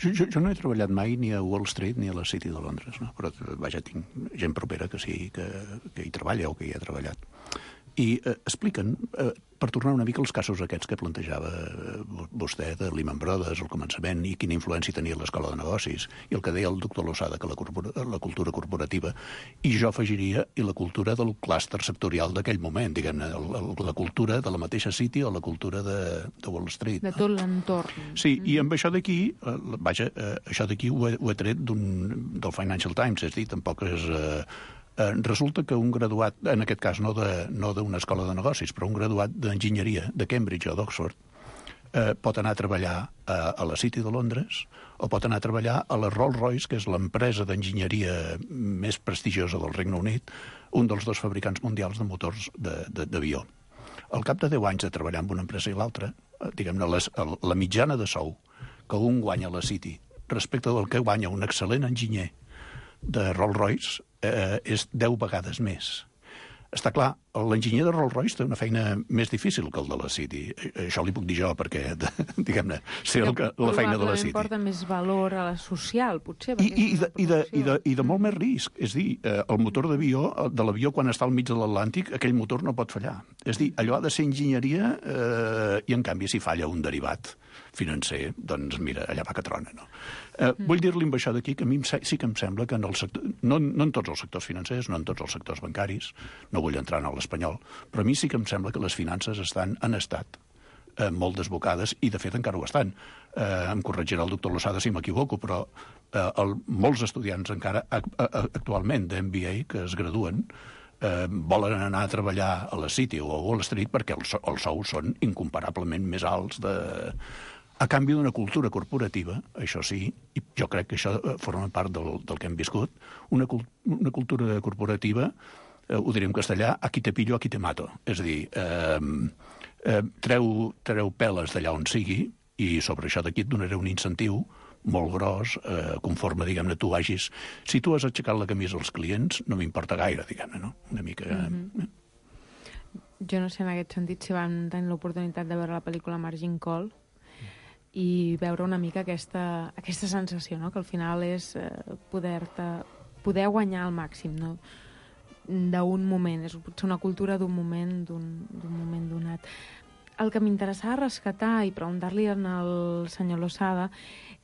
Jo no he treballat mai ni a Wall Street ni a la City de Londres, no? Però vaja, tinc gent propera que sí, que hi treballa o que hi ha treballat. I expliquen, per tornar una mica als casos aquests que plantejava vostè de Lehman Brothers al començament i quina influència tenia l'escola de negocis, i el que deia el doctor Lozada, que la cultura corporativa, i jo afegiria i la cultura del clúster sectorial d'aquell moment, diguem-ne, la cultura de la mateixa City o la cultura de Wall Street. De tot l'entorn. Sí, i amb això d'aquí, vaja, això d'aquí ho he tret del Financial Times, és a dir, tampoc és... Resulta que un graduat, en aquest cas no d'una escola de negocis, però un graduat d'enginyeria de Cambridge o d'Oxford, pot anar a treballar a la City de Londres o pot anar a treballar a la Rolls-Royce, que és l'empresa d'enginyeria més prestigiosa del Regne Unit, un dels dos fabricants mundials de motors d'avió. Al cap de 10 anys de treballar amb una empresa i l'altra, diguem-ne, la mitjana de sou que un guanya a la City respecte del que guanya un excel·lent enginyer de Rolls-Royce és 10 vegades més. Està clar, l'enginyer de Rolls-Royce té una feina més difícil que el de la City. Això li puc dir jo, perquè, diguem-ne, sé la feina de la City. Probablement porta més valor a la social, potser. I de molt més risc. És dir, el motor de l'avió, quan està al mig de l'Atlàntic, aquell motor no pot fallar. És dir, allò ha de ser enginyeria i, en canvi, si falla un derivat financer, doncs mira, allà va que trona, no? Vull dir-li amb això d'aquí que a mi sí que em sembla que en el sector, no en tots els sectors financers, no en tots els sectors bancaris, no vull entrar en l'espanyol, però a mi sí que em sembla que les finances han estat molt desbocades, i de fet encara ho estan. Em corregirà el doctor Lozada si m'equivoco, però molts estudiants encara actualment d'MBA que es graduen volen anar a treballar a la City o a Wall Street perquè els sous són incomparablement més alts a canvi d'una cultura corporativa, això sí, i jo crec que això forma part del que hem viscut, una cultura corporativa, ho diré en castellà, aquí te pillo, aquí te mato. És a dir, treu peles d'allà on sigui, i sobre això d'aquí et donaré un incentiu molt gros, conforme, diguem-ne, tu hagis... Si tu has aixecat la camisa als clients, no m'importa gaire, diguem-ne, no? Una mica... Jo no sé en aquest sentit si vam tenir l'oportunitat de veure la pel·lícula Margin Call i veure una mica aquesta sensació, no? Que al final és poder-te poder guanyar al màxim, no? D'un moment, és potser una cultura d'un moment donat. El que m'interessava rescatar i preguntar-li al senyor Losada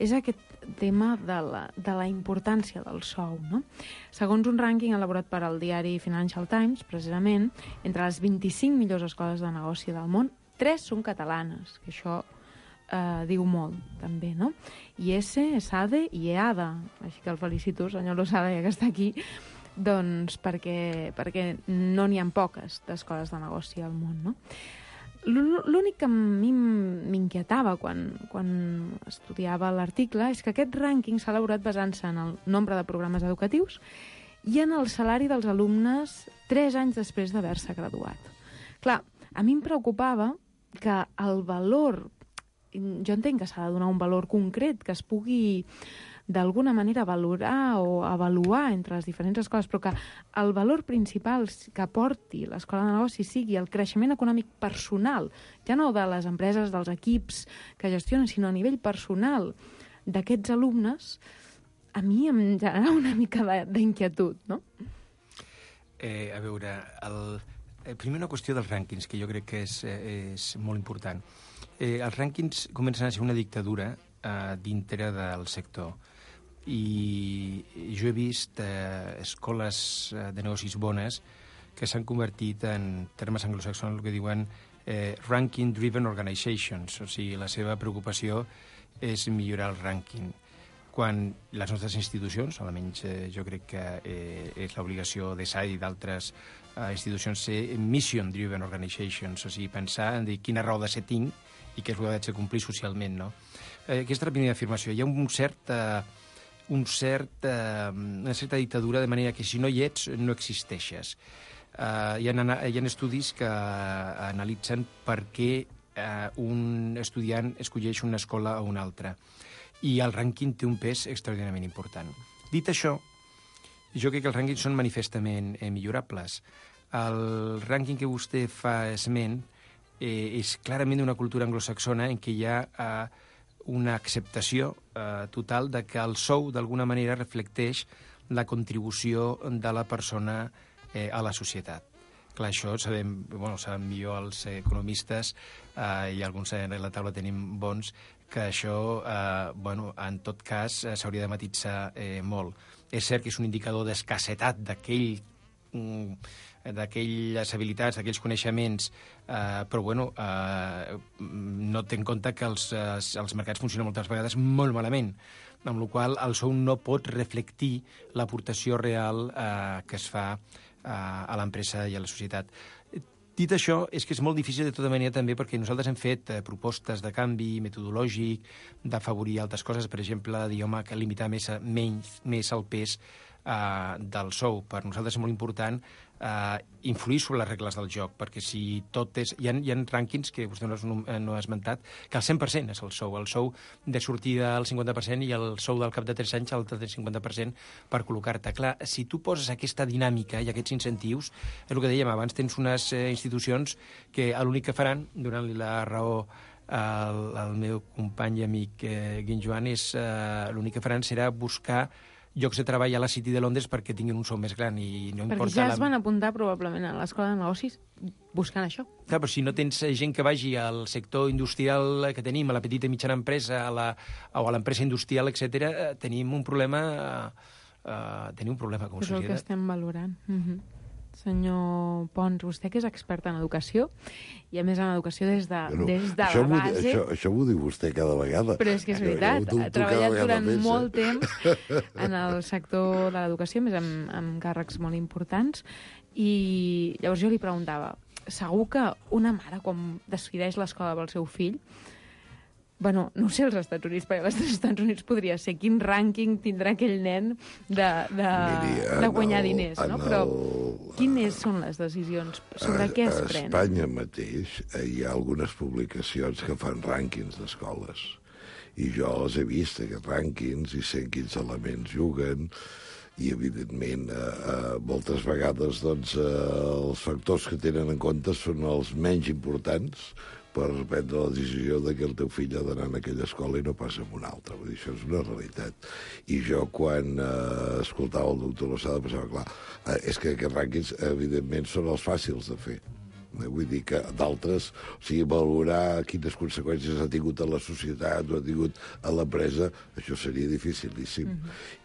és aquest tema de la importància del sou, no? Segons un rànquing elaborat per al diari Financial Times, precisament, entre les 25 millors escoles de negoci del món, 3 són catalanes, que això diu molt, també, no? IES, ESADE i EADA. Així que el felicito, senyor Losada, ja que està aquí, doncs perquè no n'hi ha poques d'escoles de negoci al món, no? L'únic que a mi m'inquietava quan estudiava l'article és que aquest rànquing s'ha elaborat basant-se en el nombre de programes educatius i en el salari dels alumnes 3 anys després d'haver-se graduat. Clar, a mi em preocupava que el valor, jo entenc que s'ha de donar un valor concret, que es pugui d'alguna manera valorar o avaluar entre les diferents escoles, però que el valor principal que aporti l'escola de negoci sigui el creixement econòmic personal, ja no de les empreses, dels equips que gestionen, sinó a nivell personal d'aquests alumnes, a mi em genera una mica d'inquietud, no? A veure, primer una qüestió dels rànquings, que jo crec que és molt important. Els rànquings comencen a ser una dictadura dintre del sector. I jo he vist escoles de negocis bones que s'han convertit en termes anglosaxons el que diuen ranking-driven organizations, o sigui, la seva preocupació és millorar el rànquing. Quan les nostres institucions, almenys jo crec que és l'obligació de SAI i d'altres institucions, ser mission-driven organizations, o sigui, pensar en quina raó de ser tinc i què és el que ha de complir socialment, no? Aquesta és la primera afirmació. Hi ha una certa dictadura, de manera que si no hi ets, no existeixes. Hi ha estudis que analitzen per què un estudiant escolleix una escola o una altra. I el rànquing té un pes extraordinàriament important. Dit això, jo crec que els rànquings són manifestament millorables. El rànquing que vostè fa esment és clarament una cultura anglosaxona en què hi ha una acceptació total de que el sou d'alguna manera reflecteix la contribució de la persona a la societat. Clar, això saben millor els economistes i alguns a la taula tenim bons, que això, en tot cas, s'hauria de matisar molt. És cert que és un indicador d'escassetat d'aquelles habilitats, d'aquells coneixements, però no té en compte que els mercats funcionen moltes vegades molt malament, amb la qual cosa el sou no pot reflectir l'aportació real que es fa a l'empresa i a la societat. Dit això, és que és molt difícil de tota manera també perquè nosaltres hem fet propostes de canvi metodològic, d'afavorir altres coses, per exemple, que limitar més el pes del sou. Per nosaltres és molt important influir sobre les regles del joc, perquè si tot és... Hi ha rànquings que vostè no ha esmentat, que el 100% és el sou de sortida al 50% i el sou del cap de 3 anys al 50% per col·locar-te. Clar, si tu poses aquesta dinàmica i aquests incentius, és el que dèiem abans, tens unes institucions que l'únic que faran, donant-li la raó al meu company i amic Guin Joan, l'únic que faran serà buscar llocs de treball a la City de Londres perquè tinguin un sou més gran i no importa... Perquè ja es van apuntar probablement a l'escola de negocis buscant això. Clar, però si no tens gent que vagi al sector industrial que tenim, a la petita i mitjana empresa, o a l'empresa industrial, etc., tenim un problema com a societat. És el que estem valorant. Senyor Pons, vostè que és expert en educació, i a més en educació des de la base... Això ho diu vostè cada vegada. Però és que és veritat, ha treballat durant molt temps en el sector de l'educació, més amb càrrecs molt importants, i llavors jo li preguntava, segur que una mare, quan decideix l'escola pel seu fill, no sé als Estats Units, perquè als Estats Units podria ser quin rànquing tindrà aquell nen de guanyar diners, no? Però quines són les decisions? Sobre què es pren? A Espanya mateix hi ha algunes publicacions que fan rànquings d'escoles. I jo els he vist, aquests rànquings, i sé quins elements juguen, i, evidentment, moltes vegades els factors que tenen en compte són els menys importants, per prendre la decisió de que el teu fill ha d'anar en aquella escola i no passa en una altra. Vull dir, això és una realitat. I jo, quan escoltava el doctor Losada, pensava, clar, és que aquests rànquings, evidentment, són els fàcils de fer. Vull dir que d'altres, o sigui, valorar quines conseqüències ha tingut a la societat o ha tingut a l'empresa, això seria dificilíssim.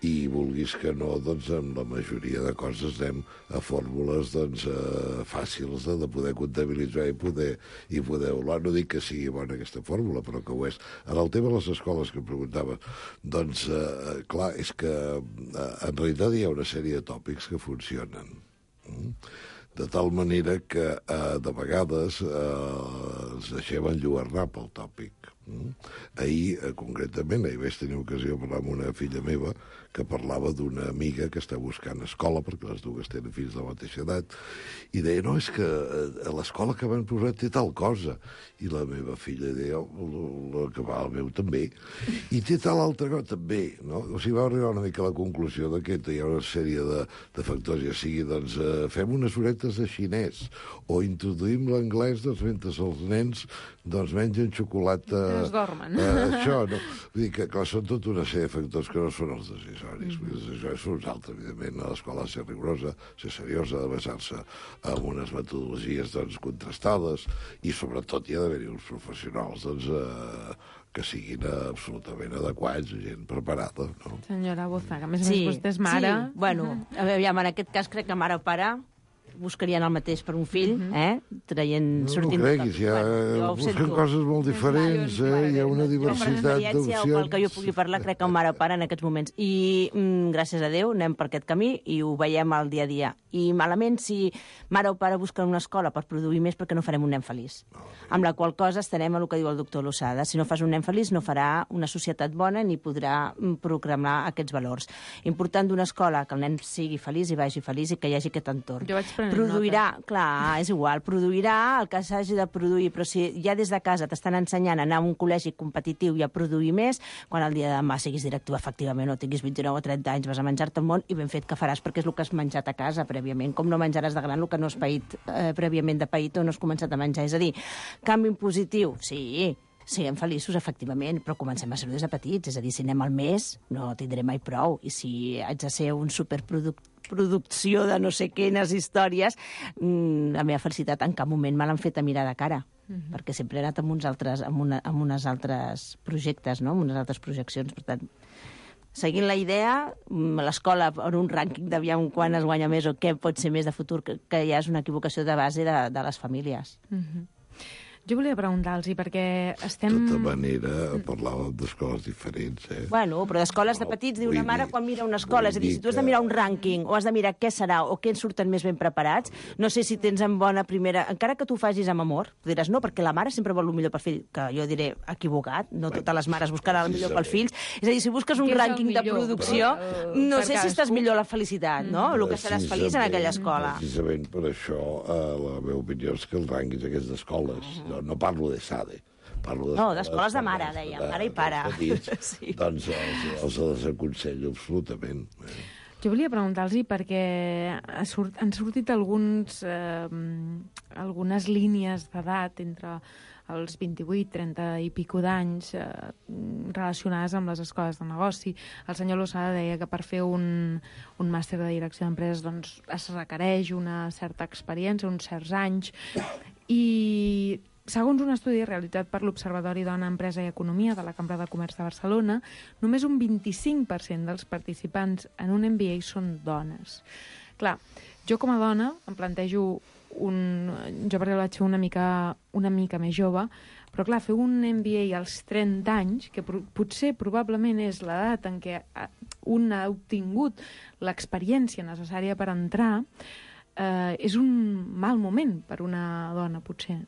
I vulguis que no, doncs, amb la majoria de coses anem a fórmules, doncs, fàcils de poder comptabilitzar i poder valorar. No dic que sigui bona aquesta fórmula, però que ho és. En el tema de les escoles que em preguntaves, doncs, clar, és que en realitat hi ha una sèrie de tòpics que funcionen. De tal manera que de vegades ens deixem enlluernar pel tòpic. Ahir, concretament, ahir vaig tenir ocasió de parlar amb una filla meva que parlava d'una amiga que està buscant escola, perquè les dues tenen fills de la mateixa edat, i deia, no, és que a l'escola que van posar té tal cosa. I la meva filla deia, el que va al meu també, i té tal altra cosa també, no? O sigui, va arribar una mica a la conclusió que hi ha una sèrie de factors, ja sigui, doncs, fem unes horetes de xinès, o introduïm l'anglès, doncs, mentre els nens, doncs, mengen xocolata... Es dormen. Això, no? Vull dir que, clar, són tota una sèrie de factors que no són els decisoris. Això és uns altres, evidentment, a l'escola ser rigorosa, ser seriosa, de basar-se en unes metodologies, doncs, contrastades, i sobretot hi ha d'haver-hi uns professionals, doncs, que siguin absolutament adequats, gent preparada, no? Senyora Bozaga, a més a més vostè és mare. Sí, bueno, aviam, en aquest cas crec que mare o pare buscarien el mateix per un fill, sortint... No ho creguis, busquen coses molt diferents, hi ha una diversitat d'opcions. O pel que jo pugui parlar, crec que un mare o pare en aquests moments. I gràcies a Déu anem per aquest camí i ho veiem al dia a dia. I malament si mare o pare busquen una escola per produir més perquè no farem un nen feliç. Amb la qual cosa estarem a el que diu el doctor Losada. Si no fas un nen feliç no farà una societat bona ni podrà proclamar aquests valors. Important d'una escola que el nen sigui feliç i vagi feliç i que hi hagi aquest entorn. Jo vaig produirà, clar, és igual, produirà el que s'hagi de produir, però si ja des de casa t'estan ensenyant a anar a un col·legi competitiu i a produir més, quan el dia de demà siguis directiu efectivament o tinguis 29 o 30 anys, vas a menjar-te el món i ben fet que faràs perquè és el que has menjat a casa prèviament, com no menjaràs de gran el que no has paït prèviament de paït o no has començat a menjar. És a dir, canvi positiu, sí, siguem feliços, efectivament, però comencem a ser-ho des de petits. És a dir, si anem al mes, no tindré mai prou. I si haig de ser un superproducció de no sé quines històries, la meva felicitat en cap moment me l'han fet a mirar de cara. Perquè sempre he anat amb uns altres projectes, no? Amb unes altres projeccions. Per tant, seguint la idea, l'escola en un rànquing d'aviam quan es guanya més o què pot ser més de futur, que ja és una equivocació de base de les famílies. Jo volia preguntar-los, perquè estem... De tota manera, parlàvem d'escoles diferents, Bueno, però d'escoles de petits, diu una mare quan mira una escola. És a dir, si tu has de mirar un rànquing o has de mirar què serà o què en surten més ben preparats, no sé si tens en bona primera... Encara que tu facis amb amor, tu diràs no, perquè la mare sempre vol el millor pel fill, que jo diré equivocat, no totes les mares buscaran el millor pels fills. És a dir, si busques un rànquing de producció, no sé si estàs millor la felicitat, no? El que seràs feliç en aquella escola. Precisament per això, la meva opinió és que els rànquings d'aquestes escoles, no parlo de SADE, parlo d'escoles de mare, deia, mare i pare. Sí. Doncs els desaconsello absolutament. Jo volia preguntar-los perquè han sortit algunes línies d'edat entre els 28, 30 i pico d'anys relacionades amb les escoles de negoci. El senyor Losada deia que per fer un màster de direcció d'empreses doncs, es requereix una certa experiència, uns certs anys, i segons un estudi realitzat per l'Observatori Dona, Empresa i Economia de la Cambra de Comerç de Barcelona, només un 25% dels participants en un MBA són dones. Clar, jo com a dona em plantejo jo perquè vaig ser una mica més jove, però clar, fer un MBA als 30 anys, que potser probablement és l'edat en què un ha obtingut l'experiència necessària per entrar, és un mal moment per una dona, potser.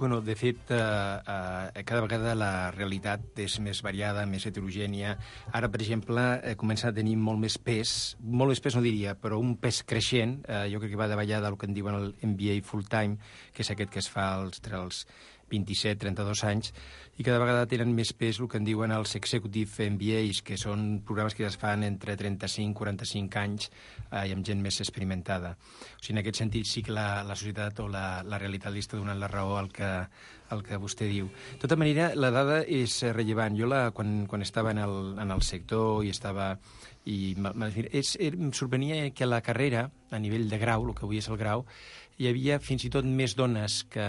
Bueno, de fet, cada vegada la realitat és més variada, més heterogènia. Ara, per exemple, comença a tenir molt més pes no diria, però un pes creixent. Jo crec que va davallar del que en diuen el MBA full-time, que és aquest que es fa entre els 27-32 anys, i cada vegada tenen més pes el que en diuen els Executive MBAs, que són programes que ja es fan entre 35-45 anys i amb gent més experimentada. O sigui, en aquest sentit sí que la societat o la realitat li està donant la raó al que el que vostè diu. De tota manera, la dada és rellevant. Jo, quan estava en el sector i estava... em sorprenia que a la carrera, a nivell de grau, el que avui és el grau, hi havia fins i tot més dones que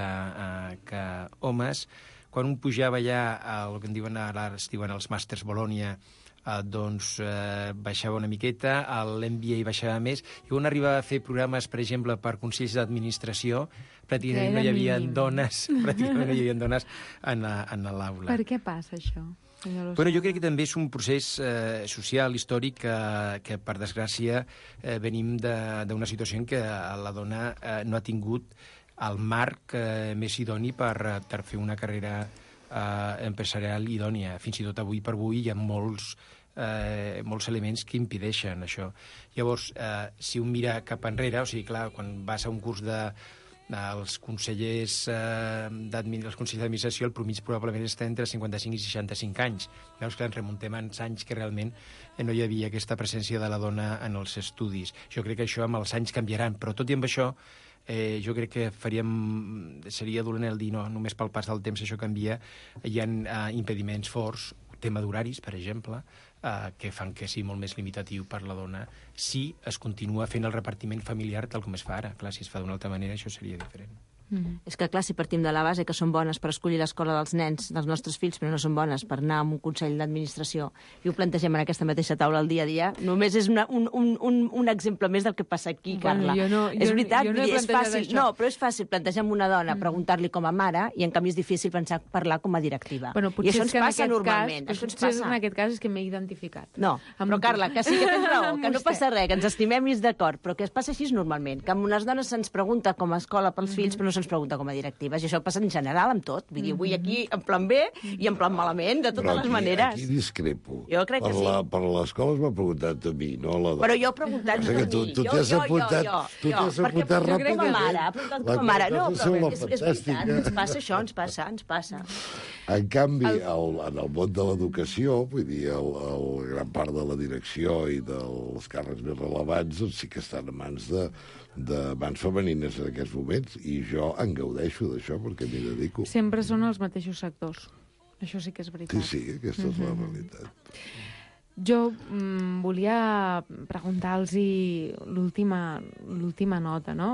homes. Quan un pujava ja el que es diuen els màsters Bologna, baixava una miqueta, l'MBA baixava més, i quan arribava a fer programes, per exemple, per consells d'administració, pràcticament no hi havia dones en l'aula. Per què passa això? Bueno, jo crec que també és un procés social, històric, que per desgràcia venim d'una situació en què la dona no ha tingut el marc més idoni per fer una carrera empresarial idònia. Fins i tot avui per avui hi ha molts elements que impedeixen això. Llavors, si un mira cap enrere, o sigui, clar, quan vas a un curs els consellers d'administració, el promig probablement està entre 55 i 65 anys. Llavors, clar, ens remuntem a anys que realment no hi havia aquesta presència de la dona en els estudis. Jo crec que això amb els anys canviaran, però tot i amb això, jo crec que seria dolent el dir no, només pel pas del temps això canvia. Hi ha impediments forts, tema d'horaris, per exemple, que fan que sigui molt més limitatiu per la dona si es continua fent el repartiment familiar tal com es fa ara. Clar, si es fa d'una altra manera, això seria diferent. És que, clar, si partim de la base que són bones per escollir l'escola dels nens, dels nostres fills, però no són bones per anar a un consell d'administració i ho plantegem en aquesta mateixa taula al dia a dia, només és un exemple més del que passa aquí, Carla. És veritat, és fàcil. No, però és fàcil plantejar amb una dona, preguntar-li com a mare, i en canvi és difícil parlar com a directiva. I això ens passa normalment. Potser en aquest cas és que m'he identificat. No, però Carla, que sí que tens raó, que no passa res, que ens estimem i és d'acord, però que es passa així normalment, que amb unes dones se'ns pregunta com a escola pels fills, però no se'ns pregunta com a directives, i això passa en general amb tot. Vull dir, avui aquí en plan bé i en plan malament, de totes les maneres. Aquí discrepo. Jo crec que sí. Per l'escola m'ha preguntat a mi, no a la dona. Però jo he preguntat a mi. Tu t'has apuntat ràpidament. Jo crec que mare, ha apuntat com a mare. No, però és veritat, ens passa això, ens passa. En canvi, en el món de l'educació, vull dir, gran part de la direcció i dels càrrecs més rellevants sí que estan a mans femenines en aquests moments, i jo en gaudeixo d'això perquè m'hi dedico. Sempre són els mateixos sectors. Això sí que és veritat. Sí, aquesta és la realitat. Jo volia preguntar-los l'última nota, no?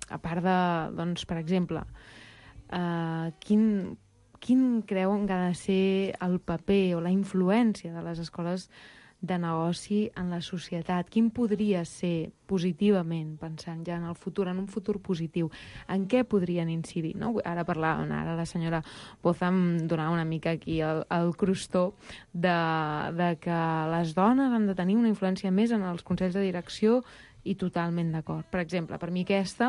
A part de, doncs, per exemple, quin creuen que ha de ser el paper o la influència de les escoles de negoci en la societat? Quin podria ser positivament, pensant ja en el futur, en un futur positiu, en què podrien incidir? No? Ara la senyora Boza em donava una mica aquí el crostó de que les dones han de tenir una influència més en els consells de direcció, i totalment d'acord. Per exemple, per mi aquesta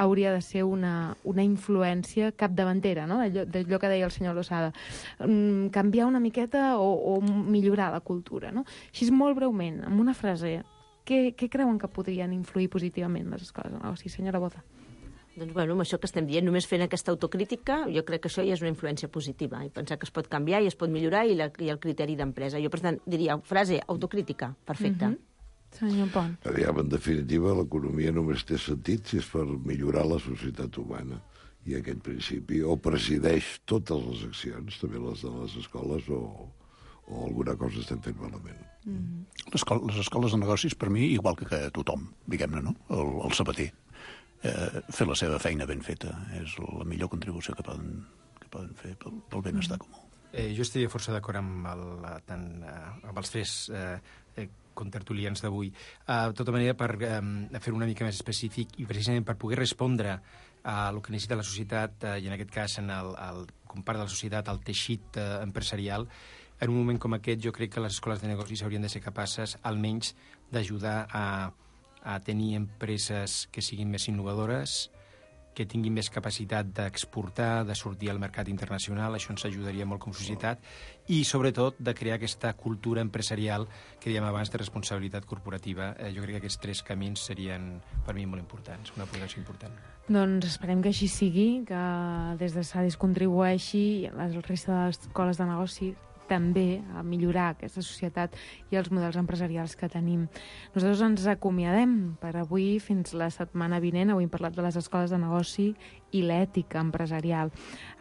hauria de ser una influència capdavantera, no? d'allò que deia el senyor Losada. Canviar una miqueta o millorar la cultura. No? Així, molt breument, amb una frase, què creuen que podrien influir positivament les escoles de negoci? Senyora Boza. Doncs, bueno, amb això que estem dient, només fent aquesta autocrítica, jo crec que això ja és una influència positiva, i pensar que es pot canviar i es pot millorar, i el criteri d'empresa. Jo, per tant, diria, frase, autocrítica, perfecte. Senyor Pont. En definitiva, l'economia només té sentit si és per millorar la societat humana. I aquest principi o presideix totes les accions, també les de les escoles, o alguna cosa estem fent malament. Les escoles de negocis, per mi, igual que tothom, diguem-ne, no? El sabater. Fer la seva feina ben feta és la millor contribució que poden fer pel benestar comú. Jo estaria força d'acord amb els tres contertulians d'avui. De tota manera, per fer una mica més específic i precisament per poder respondre a el que necessita la societat, i en aquest cas, com part de la societat, el teixit empresarial, en un moment com aquest jo crec que les escoles de negocis haurien de ser capaces almenys d'ajudar a tenir empreses que siguin més innovadores, que tinguin més capacitat d'exportar, de sortir al mercat internacional. Això ens ajudaria molt com a societat, i sobretot de crear aquesta cultura empresarial que dèiem abans de responsabilitat corporativa. Jo crec que aquests tres camins serien per mi molt importants, una aportació important. Doncs esperem que així sigui, que des de SADIS contribueixi, la resta de les escoles de negoci també a millorar aquesta societat i els models empresarials que tenim. Nosaltres ens acomiadem per avui fins la setmana vinent. Avui hem parlat de les escoles de negoci i l'ètica empresarial.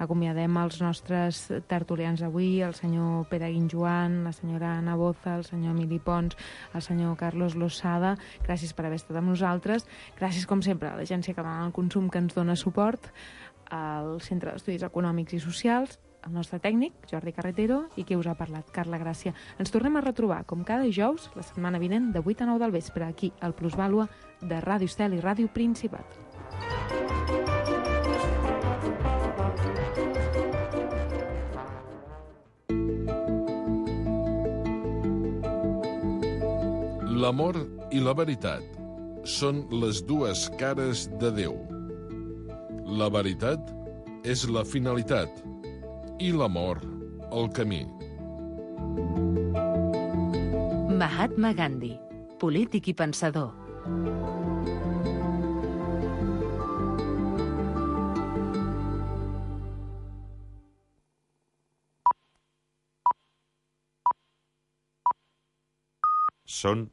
Acomiadem els nostres tertulians avui, el senyor Pere Guinjoan, la senyora Anna Boza, el senyor Emili Pons, el senyor Carlos Losada. Gràcies per haver estat amb nosaltres. Gràcies, com sempre, a l'Agència Catalana del Consum, que ens dona suport, al Centre d'Estudis Econòmics i Socials, el nostre tècnic, Jordi Carretero, i qui us ha parlat, Carla Gràcia. Ens tornem a retrobar, com cada dijous, la setmana vinent, de 8 a 9 del vespre, aquí, al Plusvàlua de Ràdio Estel i Ràdio Principat. L'amor i la veritat són les dues cares de Déu. La veritat és la finalitat i l'amor el camí. Mahatma Gandhi, polític i pensador. Són